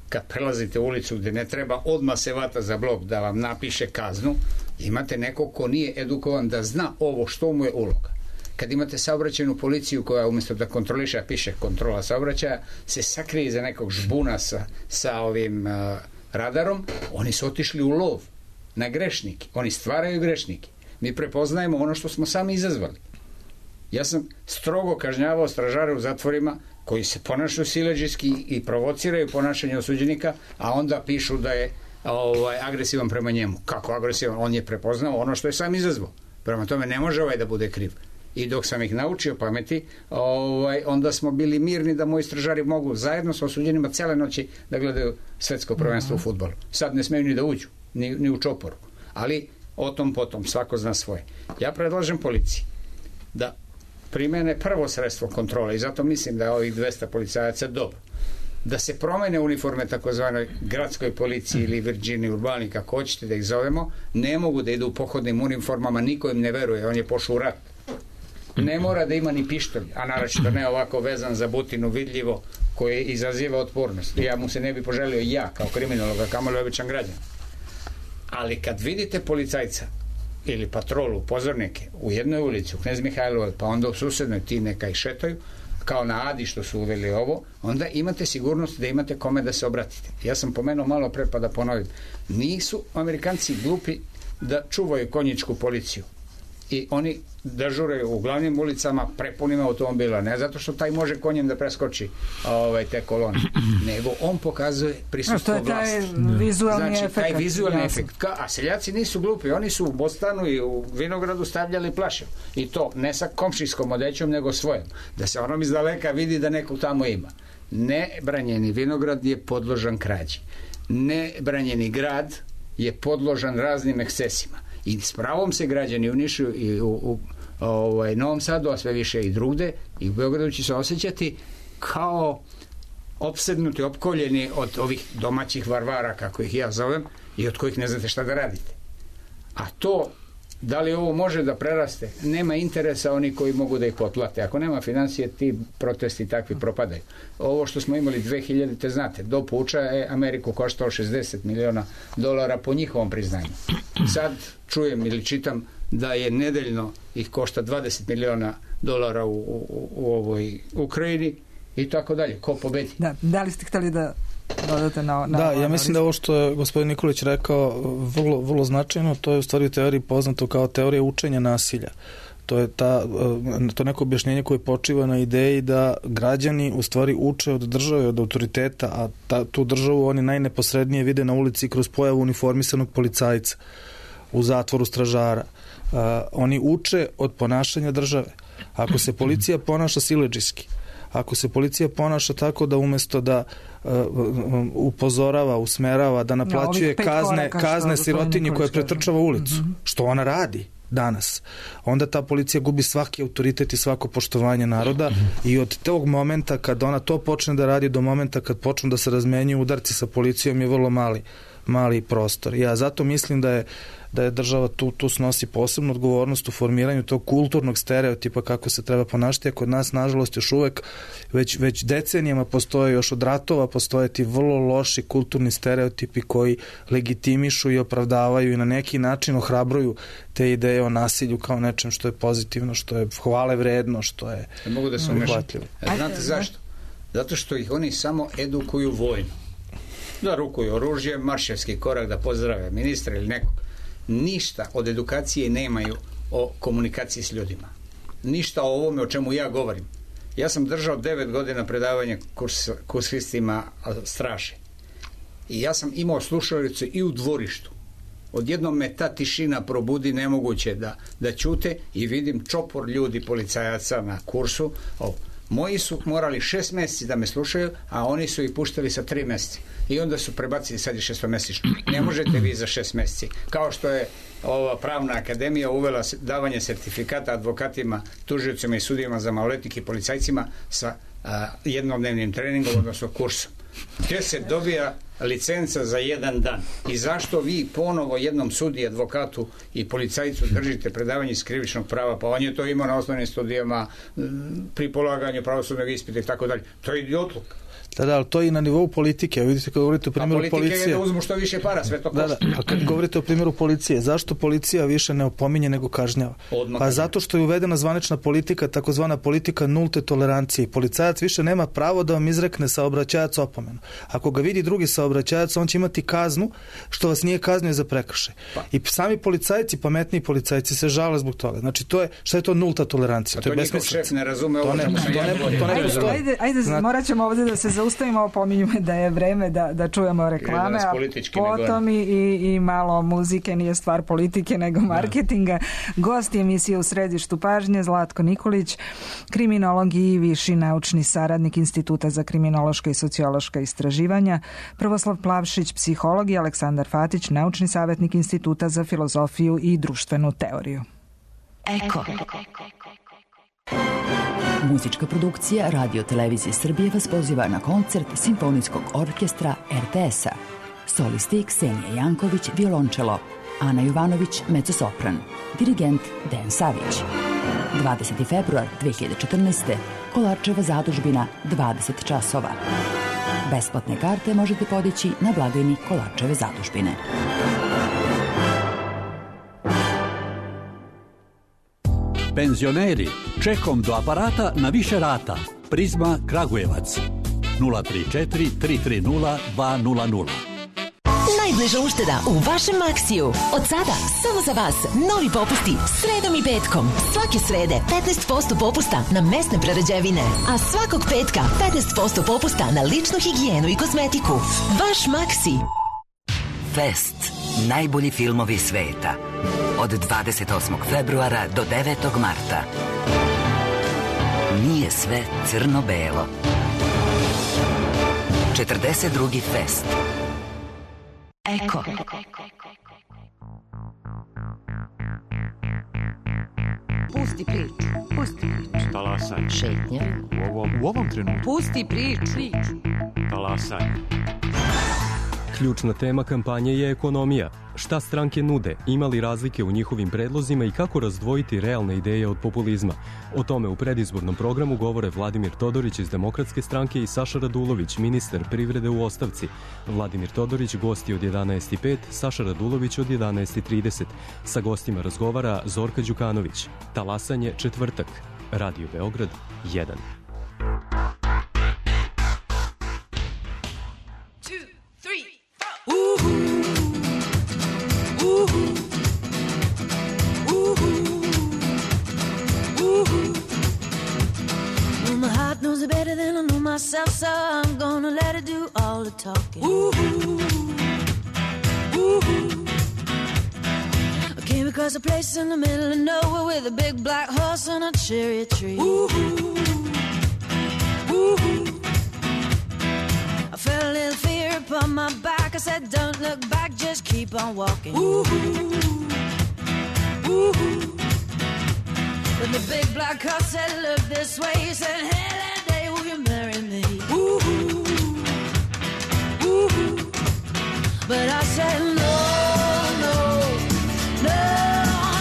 kad prelazite ulicu gde ne treba, odmah se vata za blok da vam napiše kaznu, imate nekog ko nije edukovan da zna ovo što mu je uloga. Kad imate saobraćajnu policiju koja umjesto da kontroliše, a piše kontrola saobraćaja, se sakrije iza nekog žbuna sa, sa ovim uh, radarom, oni su otišli u lov na grešnike. Oni stvaraju grešnike. Mi prepoznajemo ono što smo sami izazvali. Ja sam strogo kažnjavao stražare u zatvorima koji se ponašaju siledžijski i provociraju ponašanje osuđenika, a onda pišu da je ovaj, agresivan prema njemu. Kako agresivan? On je prepoznao ono što je sam izazvao. Prema tome ne može ovaj da bude kriv. I dok sam ih naučio pameti, ovaj, onda smo bili mirni da moji stražari mogu zajedno sa osuđenima cele noći da gledaju svetsko prvenstvo u fudbalu. Sad ne smeju ni da uđu, ni, ni u čoporu. Ali o tom potom, svako zna svoje. Ja predlažem policiji da primene prvo sredstvo kontrole i zato mislim da je ovih dvesta policajaca dobro. da se promene uniforme takozvanoj gradskoj policiji ili Virginiji urbani, kako hoćete da ih zovemo, ne mogu da idu u pohodnim uniformama, niko im ne veruje, on je pošao u rat. Ne mora da ima ni pištolj, a naročito ne ovako vezan za butinu vidljivo, koji izaziva otpornost. Ja mu se ne bi poželio ja kao kriminologa, kamoli običan građan. Ali kad vidite policajca ili patrolu, pozornike u jednoj ulici, u Knez Mihajlovoj, pa onda u susednoj ti neka i šetaju, kao na Adi što su uveli ovo, onda imate sigurnost da imate kome da se obratite. Ja sam pomenuo malo pre, pa da ponovim. Nisu Amerikanci glupi da čuvaju konjičku policiju. I oni dežuraju u glavnim ulicama prepunim automobila, ne zato što taj može konjem da preskoči ovaj, te kolone, nego on pokazuje prisustvo vlasti. To je taj vizualni znači, efekt. Taj vizualni jasno. efekt. Ka, a seljaci nisu glupi, oni su u Bostanu i u Vinogradu stavljali plaše. I to ne sa komšijskom odećom, nego svojom. Da se onom iz daleka vidi da nekog tamo ima. Nebranjeni vinograd je podložan krađi. Nebranjeni grad je podložan raznim ekscesima. I s pravom se građani u Nišu i u, u ovaj, Novom Sadu, a sve više i drugde, i u Beogradu će se osjećati kao opsednuti, opkoljeni od ovih domaćih varvara, kako ih ja zovem, i od kojih ne znate šta da radite. A to, da li ovo može da preraste, nema interesa oni koji mogu da ih potplate. Ako nema financije, ti protesti takvi propadaju. Ovo što smo imali dve hiljadite, znate, do puča je Ameriku koštao šezdeset miliona dolara po njihovom priznanju. Sad čujem ili čitam da je nedeljno ih košta dvadeset miliona dolara u, u, u ovoj Ukrajini i tako dalje. Ko pobedi? Da, da li ste hteli da dodate na, na da, ja mislim da ovo što je gospodin Nikolić rekao vrlo, vrlo značajno, to je u stvari u teoriji poznato kao teorija učenja nasilja. To je ta, to neko objašnjenje koje počiva na ideji da građani u stvari uče od države, od autoriteta, a ta, tu državu oni najneposrednije vide na ulici kroz pojavu uniformisanog policajca u zatvoru stražara. Uh, oni uče od ponašanja države. Ako se policija ponaša siledžijski, ako se policija ponaša tako da umesto da uh, upozorava, usmerava, da naplaćuje no, kazne, kazne sirotinji koja pretrčava ulicu, mm-hmm. što ona radi danas, onda ta policija gubi svaki autoritet i svako poštovanje naroda i od tog momenta kad ona to počne da radi do momenta kad počnu da se razmenjuju udarci sa policijom je vrlo mali, mali prostor. Ja zato mislim da je da je država tu, tu snosi posebnu odgovornost u formiranju tog kulturnog stereotipa kako se treba ponašati, a kod nas nažalost još uvek već, već decenijama postoje, još od ratova postoje ti vrlo loši kulturni stereotipi koji legitimišu i opravdavaju i na neki način ohrabruju te ideje o nasilju kao nečem što je pozitivno, što je hvale vredno, što je ne mogu da se umešam. Znate zašto? Zato što ih oni samo edukuju vojno. Da rukuju oružje, marševski korak, da pozdrave ministra ili nekog. Ništa od edukacije nemaju o komunikaciji s ljudima. Ništa o ovome o čemu ja govorim. Ja sam držao devet godina predavanja kurs, kursistima straže. I ja sam imao slušalicu i u dvorištu. Odjednom me ta tišina probudi, nemoguće da, da ćute i vidim čopor ljudi, policajaca na kursu. O, moji su morali šest meseci da me slušaju, a oni su ih puštali sa tri meseci. I onda su prebacili, sad je šestomesično. Ne možete vi za šest meseci. Kao što je ova pravna akademija uvela davanje sertifikata advokatima, tužiocima i sudijima za maloletnike i policajcima sa a, jednodnevnim treningom, odnosno kursom. Gdje se dobija licenca za jedan dan. I zašto vi ponovo jednom sudiji, advokatu i policajcu držite predavanje iz krivičnog prava? Pa on je to imao na osnovnim studijama, pri polaganju pravosudnog ispita i tako dalje. To je idiotluk. Da, da, ali to je i na nivou politike. Vidite kad govorite o primjeru policije. A politika je da uzmu što više para, sve to košta. Da, da, a kad govorite o primjeru policije, zašto policija više ne opominje nego kažnjava? Odmah pa zato što je uvedena zvanična politika, takozvana politika nulte tolerancije. Policajac više nema pravo da vam izrekne saobraćajac opomenu. Ako ga vidi drugi saobraćajac, on će imati kaznu što vas nije kaznio za prekršaj. Pa. I sami policajci, pametniji policajci se žale zbog toga. Znači, to je, šta je to nulta tolerancija? A to, to je njihov šef ne razume ovo. Ne, to ne, to ne, to ne ajde, ajde, ajde Znat... morat ćemo ovdje da se zaustavimo, pominju me da je vreme da, da čujemo reklame, a potom i, i, i malo muzike, nije stvar politike nego marketinga. Gost emisije U središtu pažnje Zlatko Nikolić, kriminolog i viši naučni saradnik Instituta za kriminološka i sociološka istraživanja, Prvoslav Plavšić, psiholog i Aleksandar Fatić, naučni savjetnik Instituta za filozofiju i društvenu teoriju. Eko. Muzička produkcija Radio Televizije Srbije vas poziva na koncert Simfonijskog orkestra er te es-a. Solisti Ksenija Janković, violončelo, Ana Jovanović, mezzosopran, dirigent Dejan Savić. dvadeseti februar dve hiljade četrnaeste. Kolarčeva zadužbina, dvadeset časova. Besplatne karte možete podići na blagajni Kolarčeve zadužbine. Penzioneri, čekom do aparata na više rata. Prizma Kragujevac. nula tri četiri tri tri nula dva nula nula. Najbliža ušteda u vašem Maksiju. Od sada, samo za vas, novi popusti sredom i petkom. Svake srede petnaest posto popusta na mesne prerađevine, a svakog petka petnaest posto popusta na ličnu higijenu i kozmetiku. Vaš Maksi. Fest. Najbolji filmovi sveta. Od dvadeset osmog februara do devetog marta. Nije sve crno-belo. četrdeset drugi Fest. Eko. Pusti priču. Pusti priču. Talasanje. Šetnja. U ovom, u ovom trenutku. Pusti priču. Talasanje. Ključna tema kampanje je ekonomija. Šta stranke nude, ima li razlike u njihovim predlozima i kako razdvojiti realne ideje od populizma. O tome u predizbornom programu govore Vladimir Todorić iz Demokratske stranke i Saša Radulović, ministar privrede u ostavci. Vladimir Todorić gosti od jedanaest i pet, Saša Radulović od jedanaest i trideset. Sa gostima razgovara Zorka Đukanović. Talasanje četvrtak. Radio Beograd jedan. Knows it better than I know myself, so I'm gonna let it do all the talking. Ooh, ooh. I came across a place in the middle of nowhere with a big black horse and a cherry tree. Ooh, ooh. I felt a little fear upon my back. I said, don't look back, just keep on walking. Ooh, ooh. But the big black horse said, look this way. He said, hey, that day will you marry me? Ooh, ooh. But I said, no, no, no,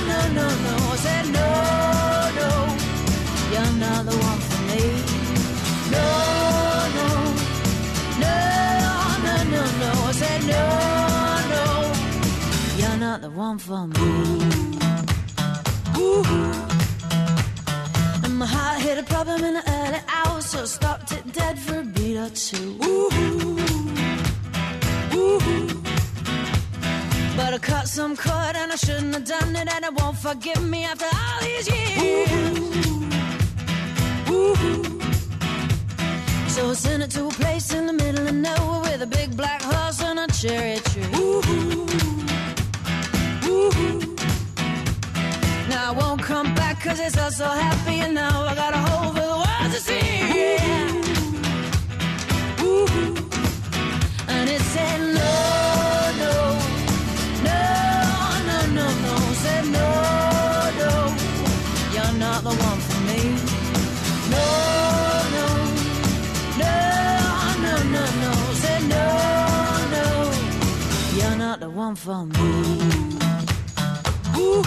no, no, no. I said, no, no, you're not the one for me. No, no, no, no, no, no. I said, no, no, you're not the one for me. Ooh. My heart hit a problem in the early hours, so stopped it dead for a beat or two. Ooh, ooh. But I cut some cord and I shouldn't have done it, and it won't forgive me after all these years. Ooh, ooh. So I sent it to a place in the middle of nowhere with a big black horse and a cherry tree. Ooh, ooh. Now I won't come back cause it's all so happy, and now I got a hole for the world to see. Yeah. Ooh. And it said no, no, no, no, no, no. Said no, no, you're not the one for me. No, no, no, no, no, no. Said no, no, you're not the one for me. Ooh.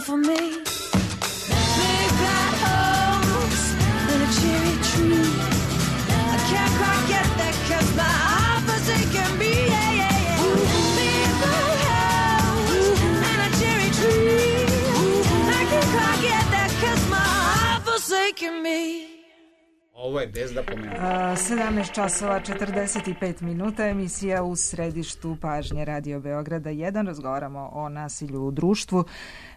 For me, big black horse and a cherry tree. I can't quite get that 'cause my heart forsaken me. Yeah, yeah, yeah. Big black horse and a cherry tree. I can't quite get that 'cause my heart forsaken me. Ovo je bez da pomenem. sedamnaest časova četrdeset pet minuta, emisija u središtu pažnje Radio Beograda jedan. Razgovaramo o nasilju u društvu.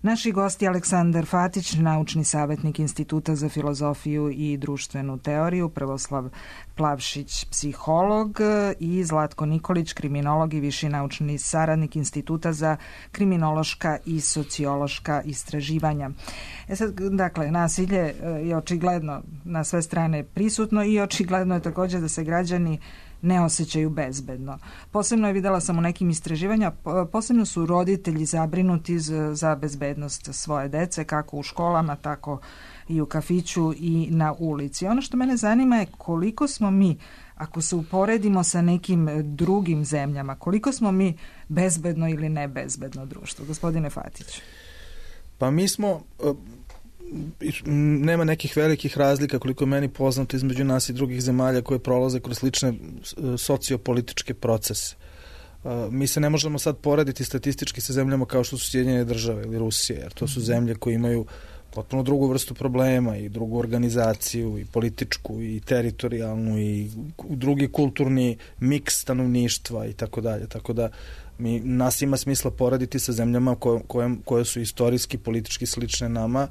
Naši gosti Aleksandar Fatić, naučni savjetnik Instituta za filozofiju i društvenu teoriju, Prvoslav Plavšić, psiholog, i Zlatko Nikolić, kriminolog i viši naučni saradnik Instituta za kriminološka i sociološka istraživanja. E sad, dakle, nasilje je očigledno na sve strane prisutno i očigledno je također da se građani ne osjećaju bezbedno. Posebno je, videla sam u nekim istraživanja, posebno su roditelji zabrinuti za bezbednost svoje dece, kako u školama, tako i u kafiću i na ulici. Ono što mene zanima je koliko smo mi, ako se uporedimo sa nekim drugim zemljama, koliko smo mi bezbedno ili nebezbedno društvo. Gospodine Fatić. Pa mi smo, nema nekih velikih razlika koliko je meni poznato između nas i drugih zemalja koje prolaze kroz slične sociopolitičke procese. Mi se ne možemo sad porediti statistički sa zemljama kao što su Sjedinjene Države ili Rusija, jer to su zemlje koje imaju potpuno drugu vrstu problema i drugu organizaciju i političku i teritorijalnu i drugi kulturni miks stanovništva i tako dalje. Tako da mi, nas ima smisla porediti sa zemljama koje, koje, koje su istorijski, politički slične nama.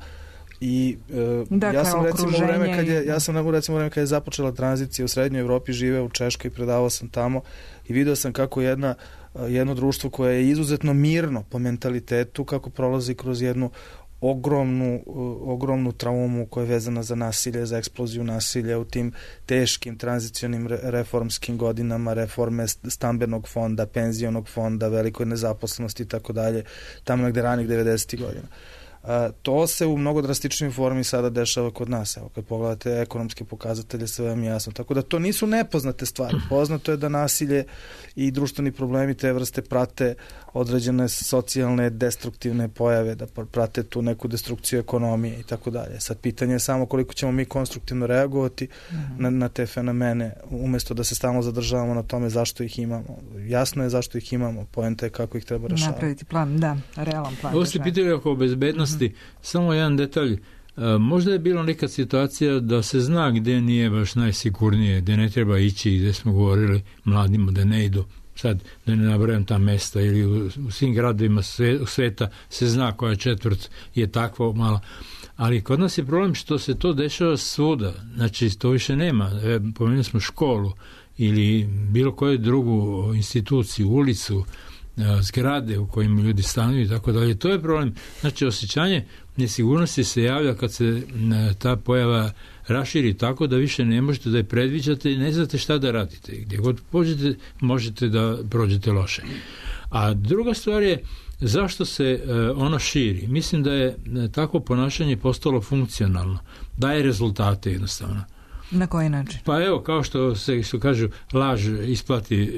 I e, dakle, ja sam recimo u vreme kad je ja sam recimo u vreme kad je započela tranzicija u Srednjoj Evropi, živeo u Češkoj, predavao sam tamo i video sam kako jedna jedno društvo koje je izuzetno mirno po mentalitetu, kako prolazi kroz jednu ogromnu, ogromnu traumu koja je vezana za nasilje, za eksploziju nasilja u tim teškim tranzicionim reformskim godinama, reforme stambenog fonda, penzionog fonda, velikoj nezaposlenosti i tako dalje, tamo negde ranih devedesetih godina. A, to se u mnogo drastičnoj formi sada dešava kod nas. Evo, kad pogledate ekonomske pokazatelje, sve vam je jasno. Tako da to nisu nepoznate stvari. Poznato je da nasilje i društveni problemi te vrste prate određene socijalne destruktivne pojave, da prate tu neku destrukciju ekonomije i tako dalje. Sad pitanje je samo koliko ćemo mi konstruktivno reagovati mm-hmm. na, na te fenomene, umjesto da se stalno zadržavamo na tome zašto ih imamo. Jasno je zašto ih imamo, poenta je kako ih treba rešavati. Napraviti plan, da, realan plan. Ovo ste pitali oko bezbednosti, mm-hmm. samo jedan detalj. Možda je bila neka situacija da se zna gde nije baš najsigurnije, gde ne treba ići, gde smo govorili mladima da ne idu. Sad, da ne nabrajam ta mesta, ili u, u svim gradovima sve, sveta se zna koja četvrt je takva mala. Ali kod nas je problem što se to dešava svuda. Znači, to više nema. E, pomenuli smo školu ili bilo koju drugu instituciju, ulicu, zgrade u kojima ljudi stanuju i tako dalje. To je problem. Znači, osjećanje nesigurnosti se javlja kad se ta pojava raširi tako da više ne možete da je predviđate i ne znate šta da radite. Gdje god pođete, možete da prođete loše. A druga stvar je zašto se ono širi. Mislim da je takvo ponašanje postalo funkcionalno. Daje rezultate jednostavno. Na koji način? Pa evo, kao što se što kažu, laž isplati e,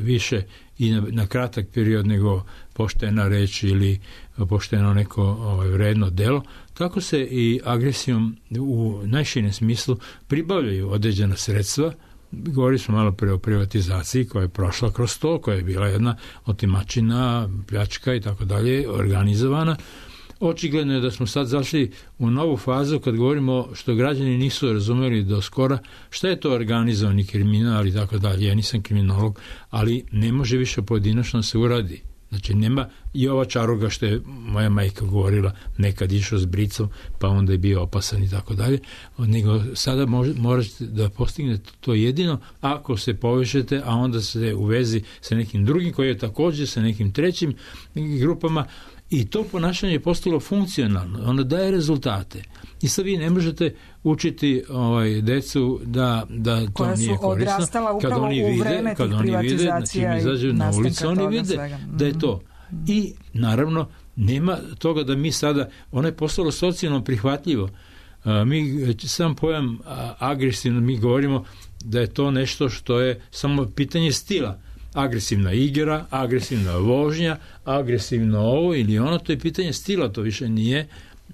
više i na, na kratak period nego poštena reč ili pošteno neko ovaj, vredno delo, tako se i agresijom u najširem smislu pribavljaju određena sredstva. Govorili smo malo pre o privatizaciji koja je prošla kroz to, koja je bila jedna otimačina, pljačka i tako dalje, organizovana. Očigledno je da smo sad zašli u novu fazu kad govorimo što građani nisu razumeli do skora šta je to organizovani kriminal i tako dalje. Ja nisam kriminolog, ali ne može više pojedinačno se uradi. Znači nema i ova čaroga što je moja majka govorila, nekad išao s bricom pa onda je bio opasan i tako dalje, nego sada može, morate da postignete to jedino ako se povežete, a onda se u vezi sa nekim drugim koji je također sa nekim trećim grupama. I to ponašanje je postalo funkcionalno, ono daje rezultate. I sad vi ne možete učiti ovaj, decu da, da to koja nije korisno. Kad oni vide, kad oni vide, znači mi izađu na ulicu, oni vide svega. Da je to. I naravno, nema toga da mi sada, ono je postalo socijalno prihvatljivo. A, mi sam pojam a, agresivno, mi govorimo da je to nešto što je samo pitanje stila. Agresivna igra, agresivna vožnja, agresivno ovo ili ono, to je pitanje stila, to više nije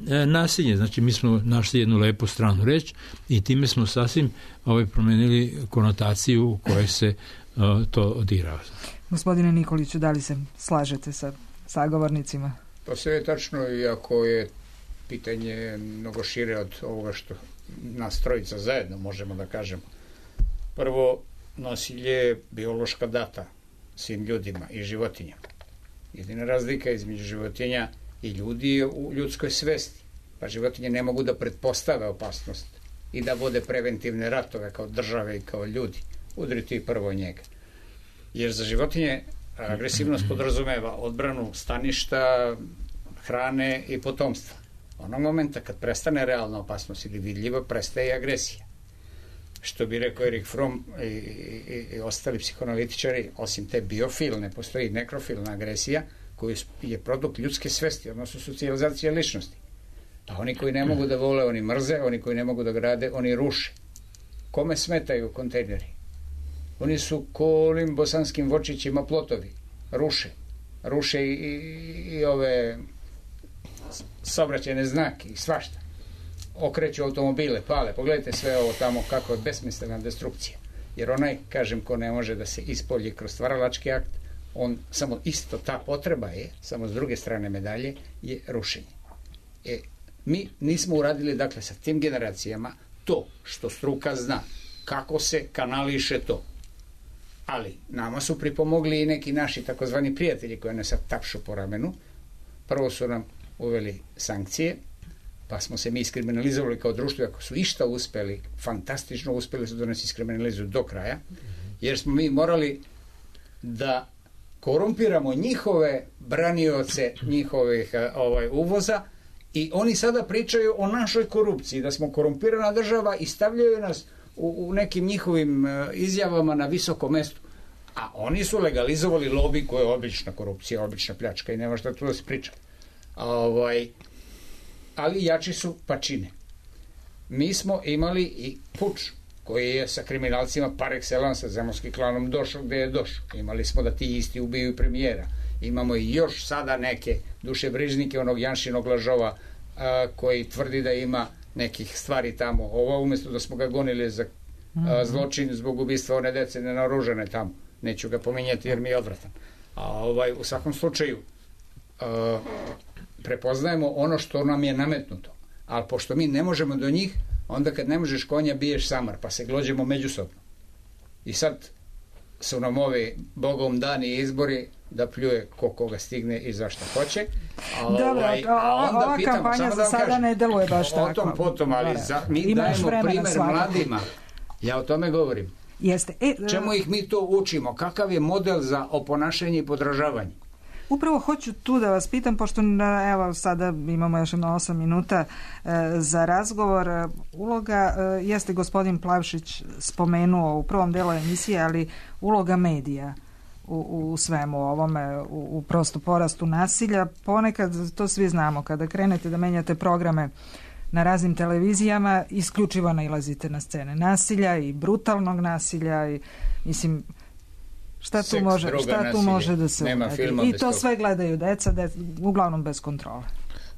e, nasilje. Znači, mi smo našli jednu lepu stranu reč i time smo sasvim ovaj, promenili konotaciju u kojoj se e, to odirava. Gospodine Nikoliću, da li se slažete sa sagovornicima? To sve je tačno, iako je pitanje mnogo šire od ovoga što nas trojica zajedno, možemo da kažemo. Prvo, nasilje je biološka data svim ljudima i životinjama. Jedina razlika između životinja i ljudi je u ljudskoj svesti. Pa životinje ne mogu da pretpostave opasnost i da vode preventivne ratove kao države i kao ljudi. Udriti i prvo njega. Jer za životinje agresivnost podrazumeva odbranu staništa, hrane i potomstva. Onog momenta kad prestane realna opasnost ili vidljiva, prestaje i agresija. Što bi rekao Erik Fromm i, i, i ostali psihoanalitičari, osim te biofilne, postoji nekrofilna agresija koja je produkt ljudske svesti, odnosno socijalizacije ličnosti. Pa oni koji ne mogu da vole, oni mrze, oni koji ne mogu da grade, oni ruše. Kome smetaju kontejneri? Oni su ko onim bosanskim vočićima plotovi. Ruše. Ruše i, i, i ove saobraćajne znake i svašta. Okreću automobile, pale. Pogledajte sve ovo tamo kako je besmislena destrukcija. Jer onaj, kažem, ko ne može da se ispolji kroz stvaralački akt, on samo isto ta potreba je, samo s druge strane medalje, je rušenje. E, mi nismo uradili, dakle, sa tim generacijama to što struka zna, kako se kanališe to. Ali nama su pripomogli i neki naši takozvani prijatelji koji ne sad tapšu po ramenu. Prvo su nam uveli sankcije, pa smo se mi iskriminalizovali kao društvo, ako su išta uspeli, fantastično uspeli su da nas iskriminalizuju do kraja, jer smo mi morali da korumpiramo njihove branioce njihovih ovaj, uvoza i oni sada pričaju o našoj korupciji, da smo korumpirana država i stavljaju nas u, u nekim njihovim izjavama na visoko mesto. A oni su legalizovali lobi koja je obična korupcija, obična pljačka i nema šta tu da se priča. Ovaj, ali jači su pa čine. Mi smo imali i puč koji je sa kriminalcima par excellence, sa zemunskim klanom došao gde je došao. Imali smo da ti isti ubiju premijera. Imamo i još sada neke dušebrižnike onog Janšinog lažova a, koji tvrdi da ima nekih stvari tamo. Ovo umjesto da smo ga gonili za a, zločin zbog ubistva one dece nenaoružane tamo. Neću ga pominjati jer mi je odvratan. A ovaj, u svakom slučaju a, prepoznajemo ono što nam je nametnuto. Ali pošto mi ne možemo do njih, onda kad ne možeš konja biješ samar, pa se glođemo međusobno. I sad su nam ovi bogom dani izbori da pljuje ko koga stigne i zašto hoće. A, Dobro, ovaj, a, a onda ova pitam, kampanja da za sada kažem, ne deluje baš tako. O tom potom, ali za, mi Imaš dajemo primer svakako. mladima. Ja o tome govorim. Jeste. E, Čemu ih mi to učimo? Kakav je model za oponašanje i podražavanje? Upravo hoću tu da vas pitam, pošto evo sada imamo još jedno osam minuta e, za razgovor. Uloga, e, jeste gospodin Plavšić spomenuo u prvom delu emisije, ali uloga medija u, u svemu ovome, u, u prosto porastu nasilja. Ponekad, to svi znamo, kada krenete da menjate programe na raznim televizijama, isključivo nailazite na scene nasilja i brutalnog nasilja i mislim... Šta tu, Seks, može, droga, šta tu nasilje. može da se Nema uradi? filma I bez to toga. sve gledaju deca, de, uglavnom bez kontrole.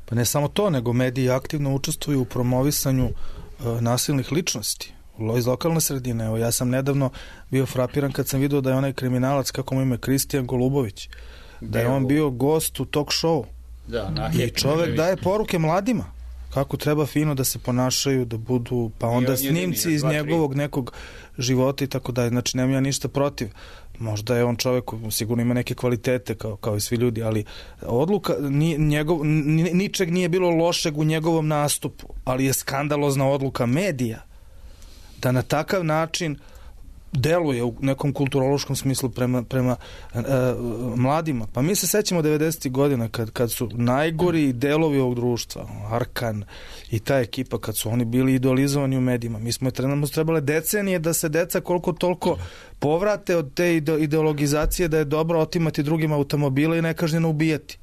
Pa ne samo to, nego mediji aktivno učestvuju u promovisanju uh, nasilnih ličnosti iz lokalne sredine. Evo, ja sam nedavno bio frapiran kad sam vidio da je onaj kriminalac, kako mu ime, Kristijan Golubović, da je on bio gost u talk show. Da, na, I čovek daje poruke mladima kako treba fino da se ponašaju, da budu, pa onda snimci iz njegovog nekog života i tako dalje. Znači, nemam ja ništa protiv. Možda je on čovek, sigurno ima neke kvalitete kao, kao i svi ljudi, ali odluka, ni, njegov, ni, ničeg nije bilo lošeg u njegovom nastupu, ali je skandalozna odluka medija da na takav način deluje u nekom kulturološkom smislu prema, prema e, mladima. Pa mi se sećamo devedesetih godina kad, kad su najgori delovi ovog društva, Arkan i ta ekipa, kad su oni bili idolizovani u medijima. Mi smo trenutno trebale decenije da se deca koliko toliko povrate od te ideologizacije da je dobro otimati drugim automobile i nekažnjeno ubijati.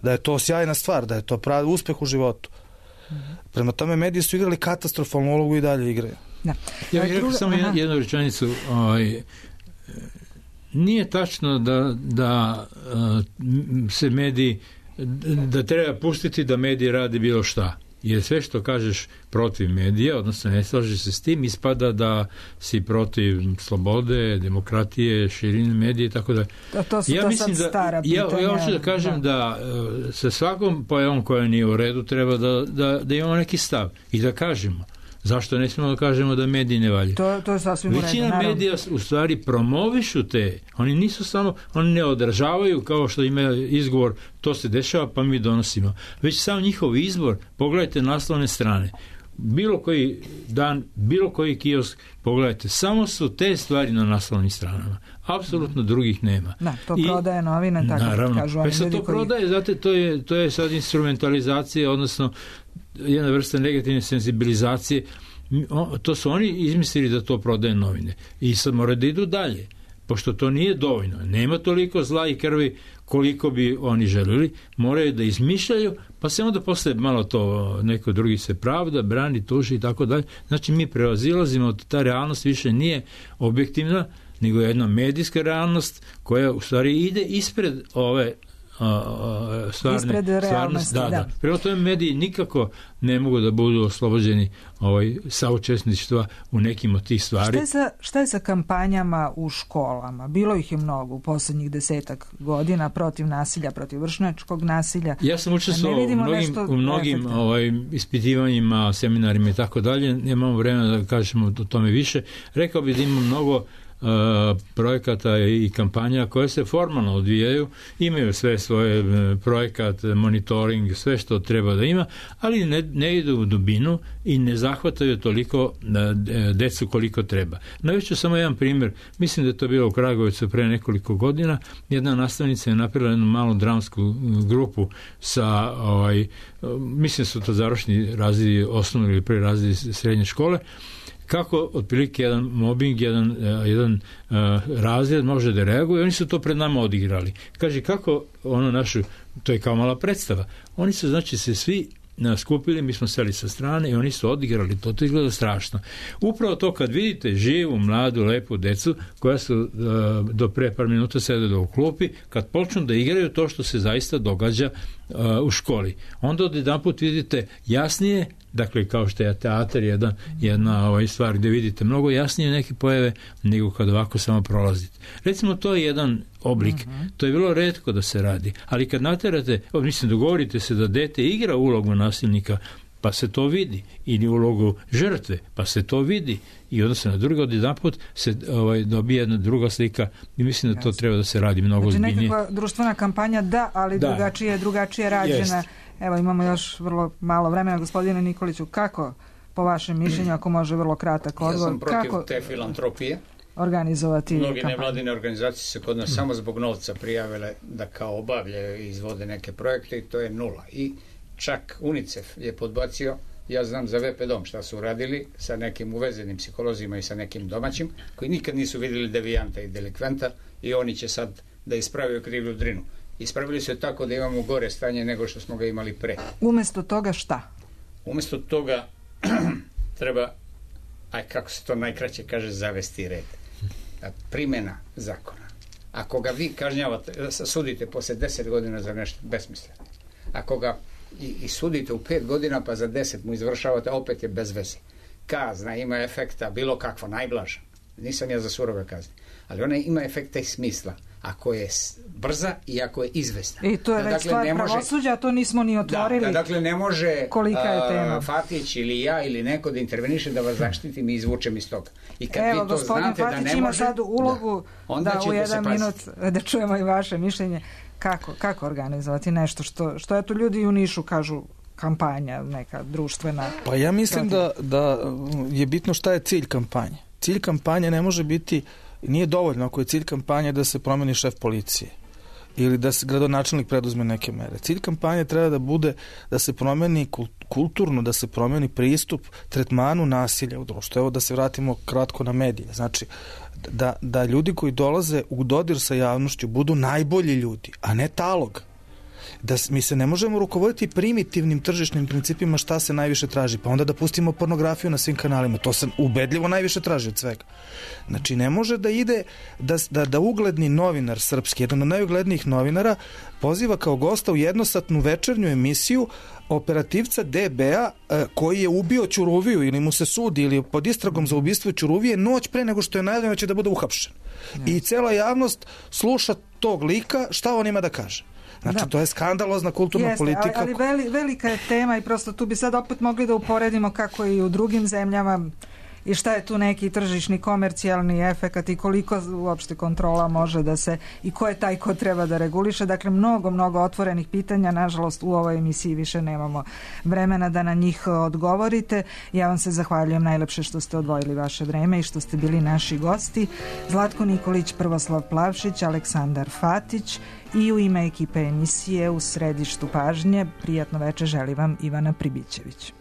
Da je to sjajna stvar, da je to pravi uspeh u životu. Prema tome mediji su igrali katastrofalnu ulogu i dalje igraju. Da. Ja bih rekao samo jednu, jednu rečenicu. Ovaj, nije tačno da, da se mediji, da treba pustiti da mediji radi bilo šta. Jer sve što kažeš protiv medija, odnosno ne slažeš se s tim, ispada da si protiv slobode, demokratije, širine medije i tako da. To, to su ja to mislim sad da, stara ja, pitanja. ja hoću da kažem da, da sa svakom pojavom koja nije u redu treba da, da, da imamo neki stav i da kažemo. Zašto ne smijemo da kažemo da mediji ne valju? To, to je sasvim u redu, Većina naravno. medija u stvari promovišu te, oni nisu samo, oni ne odražavaju kao što ima izgovor, to se dešava pa mi donosimo. Već sam njihov izbor, pogledajte naslovne strane, bilo koji dan, bilo koji kiosk, pogledajte, samo su te stvari na naslovnim stranama. Apsolutno drugih nema. Da, to I, prodaje novine, tako naravno, kažu pa oni sad ljudi to koji... prodaje, znate, to je, to je sad instrumentalizacija, odnosno jedna vrsta negativne senzibilizacije. To su oni izmislili da to prodaje novine. I sad moraju da idu dalje, pošto to nije dovoljno. Nema toliko zla i krvi koliko bi oni želili. Moraju da izmišljaju, pa se onda posle malo to neko drugi se pravda, brani, tuži i tako dalje. Znači mi prevazilazimo, ta realnost više nije objektivna, nego je jedna medijska realnost koja u stvari ide ispred ove A, a, stvarne, ispred realnosti, da, da. da. Prema tome mediji nikako ne mogu da budu oslobođeni ovaj, saučesništva u nekim od tih stvari. Šta je, sa, šta je sa kampanjama u školama? Bilo ih je mnogo u poslednjih desetak godina protiv nasilja, protiv vršnjačkog nasilja. Ja sam učestvovao u mnogim, u mnogim ovaj, ispitivanjima, seminarima i tako dalje. Nemamo vremena da kažemo o tome više. Rekao bih da ima mnogo Uh, projekata i kampanja koje se formalno odvijaju, imaju sve svoje uh, projekat, monitoring, sve što treba da ima, ali ne, ne idu u dubinu i ne zahvataju toliko uh, decu koliko treba. Navešću samo jedan primjer, mislim da je to bilo u Kragujevcu pre nekoliko godina, jedna nastavnica je napravila jednu malu dramsku grupu sa, ovaj, mislim su to završni razredi osnovne ili pre razredi srednje škole, kako otprilike jedan mobbing, jedan, jedan uh, razred može da reaguje, oni su to pred nama odigrali. Kaže, kako ono našu, to je kao mala predstava, oni su, znači, se svi skupili, mi smo seli sa strane i oni su odigrali, to to izgleda strašno. Upravo to kad vidite živu, mladu, lepu decu koja su uh, do pre par minuta sede u klupi, kad počnu da igraju to što se zaista događa uh, u školi. Onda od jedan put vidite jasnije, dakle kao što je teatar jedan, jedna ovaj, stvar gde vidite mnogo jasnije neke pojave nego kad ovako samo prolazite. Recimo to je jedan oblik, uh-huh. To je bilo retko da se radi, ali kad naterate, mislim dogovorite se da dete igra ulogu nasilnika, pa se to vidi, ili ulogu žrtve, pa se to vidi i onda se na drugo od jedan put se ovaj, dobije jedna druga slika i mislim da to Jasne. Treba da se radi mnogo znači, ozbiljnije. Nekakva društvena kampanja da, ali da. drugačije, drugačije rađena. Jest. Evo imamo još vrlo malo vremena, gospodine Nikoliću, kako po vašem mišljenju, ako može vrlo kratak odgovor, ja sam protiv kako te filantropije organizovati Mnogi kampanju? nevladine organizacije se kod nas mm. samo zbog novca prijavile da kao obavljaju i izvode neke projekte i to je nula. I čak UNICEF je podbacio, ja znam za V P dom šta su uradili sa nekim uvezenim psiholozima i sa nekim domaćim, koji nikad nisu vidjeli devijanta i delikventa i oni će sad da ispravaju krivlju drinu. Ispravili su je tako da imamo gore stanje nego što smo ga imali pre. Umesto toga šta? Umesto toga treba, aj kako se to najkraće kaže, zavesti red. Primjena zakona. Ako ga vi kažnjavate, sudite posle deset godina za nešto besmisleno. Ako ga i, i sudite u pet godina pa za deset mu izvršavate, opet je bez veze. Kazna ima efekta bilo kakva, najblaža. Nisam ja za surove kazne. Ali ona ima efekta i smisla. Ako je brza i ako je izvesna. I to je da, već dakle, stvar može, pravosuđa, to nismo ni otvorili. Da, da, dakle ne može kolika je tema. A, Fatić ili ja ili neko da interveniše da vas zaštitim i izvučem iz toga. I kad Evo, vi to znate Fatić da ne ima može, sad ulogu da, da u jedan minut da čujemo i vaše mišljenje. Kako, kako organizovati nešto što, što eto ljudi u Nišu kažu kampanja, neka društvena. Pa ja mislim da, da je bitno šta je cilj kampanje. Cilj kampanje ne može biti, nije dovoljno ako je cilj kampanje da se promeni šef policije ili da se gradonačelnik preduzme neke mere. Cilj kampanje treba da bude da se promeni kulturno, da se promeni pristup tretmanu nasilja u društvu. Evo da se vratimo kratko na medije. Znači, da, da ljudi koji dolaze u dodir sa javnošću budu najbolji ljudi, a ne talog. Da mi se ne možemo rukovoditi primitivnim tržišnim principima šta se najviše traži, pa onda da pustimo pornografiju na svim kanalima, to se ubedljivo najviše traži od svega. Znači ne može da ide da, da, da ugledni novinar srpski, jedan od najuglednijih novinara, poziva kao gosta u jednosatnu večernju emisiju operativca D B-a koji je ubio Ćuruviju ili mu se sudi ili pod istragom za ubistvo Ćuruvije noć pre nego što je najavljeno da će da bude uhapšen. I cela javnost sluša tog lika šta on ima da kaže. Znači, Da. to je skandalozna kulturna Jeste, politika. ali, ali veli, velika je tema i prosto tu bi sad opet mogli da uporedimo kako je i u drugim zemljama i šta je tu neki tržišni komercijalni efekat i koliko uopšte kontrola može da se i ko je taj ko treba da reguliše. Dakle, mnogo, mnogo otvorenih pitanja. Nažalost, u ovoj emisiji više nemamo vremena da na njih odgovorite. Ja vam se zahvaljujem najlepše što ste odvojili vaše vreme i što ste bili naši gosti. Zlatko Nikolić, Prvoslav Plavšić, Aleksandar Fatić i u ime ekipe emisije u središtu pažnje. Prijatno veče želi vam Ivana Pribićević.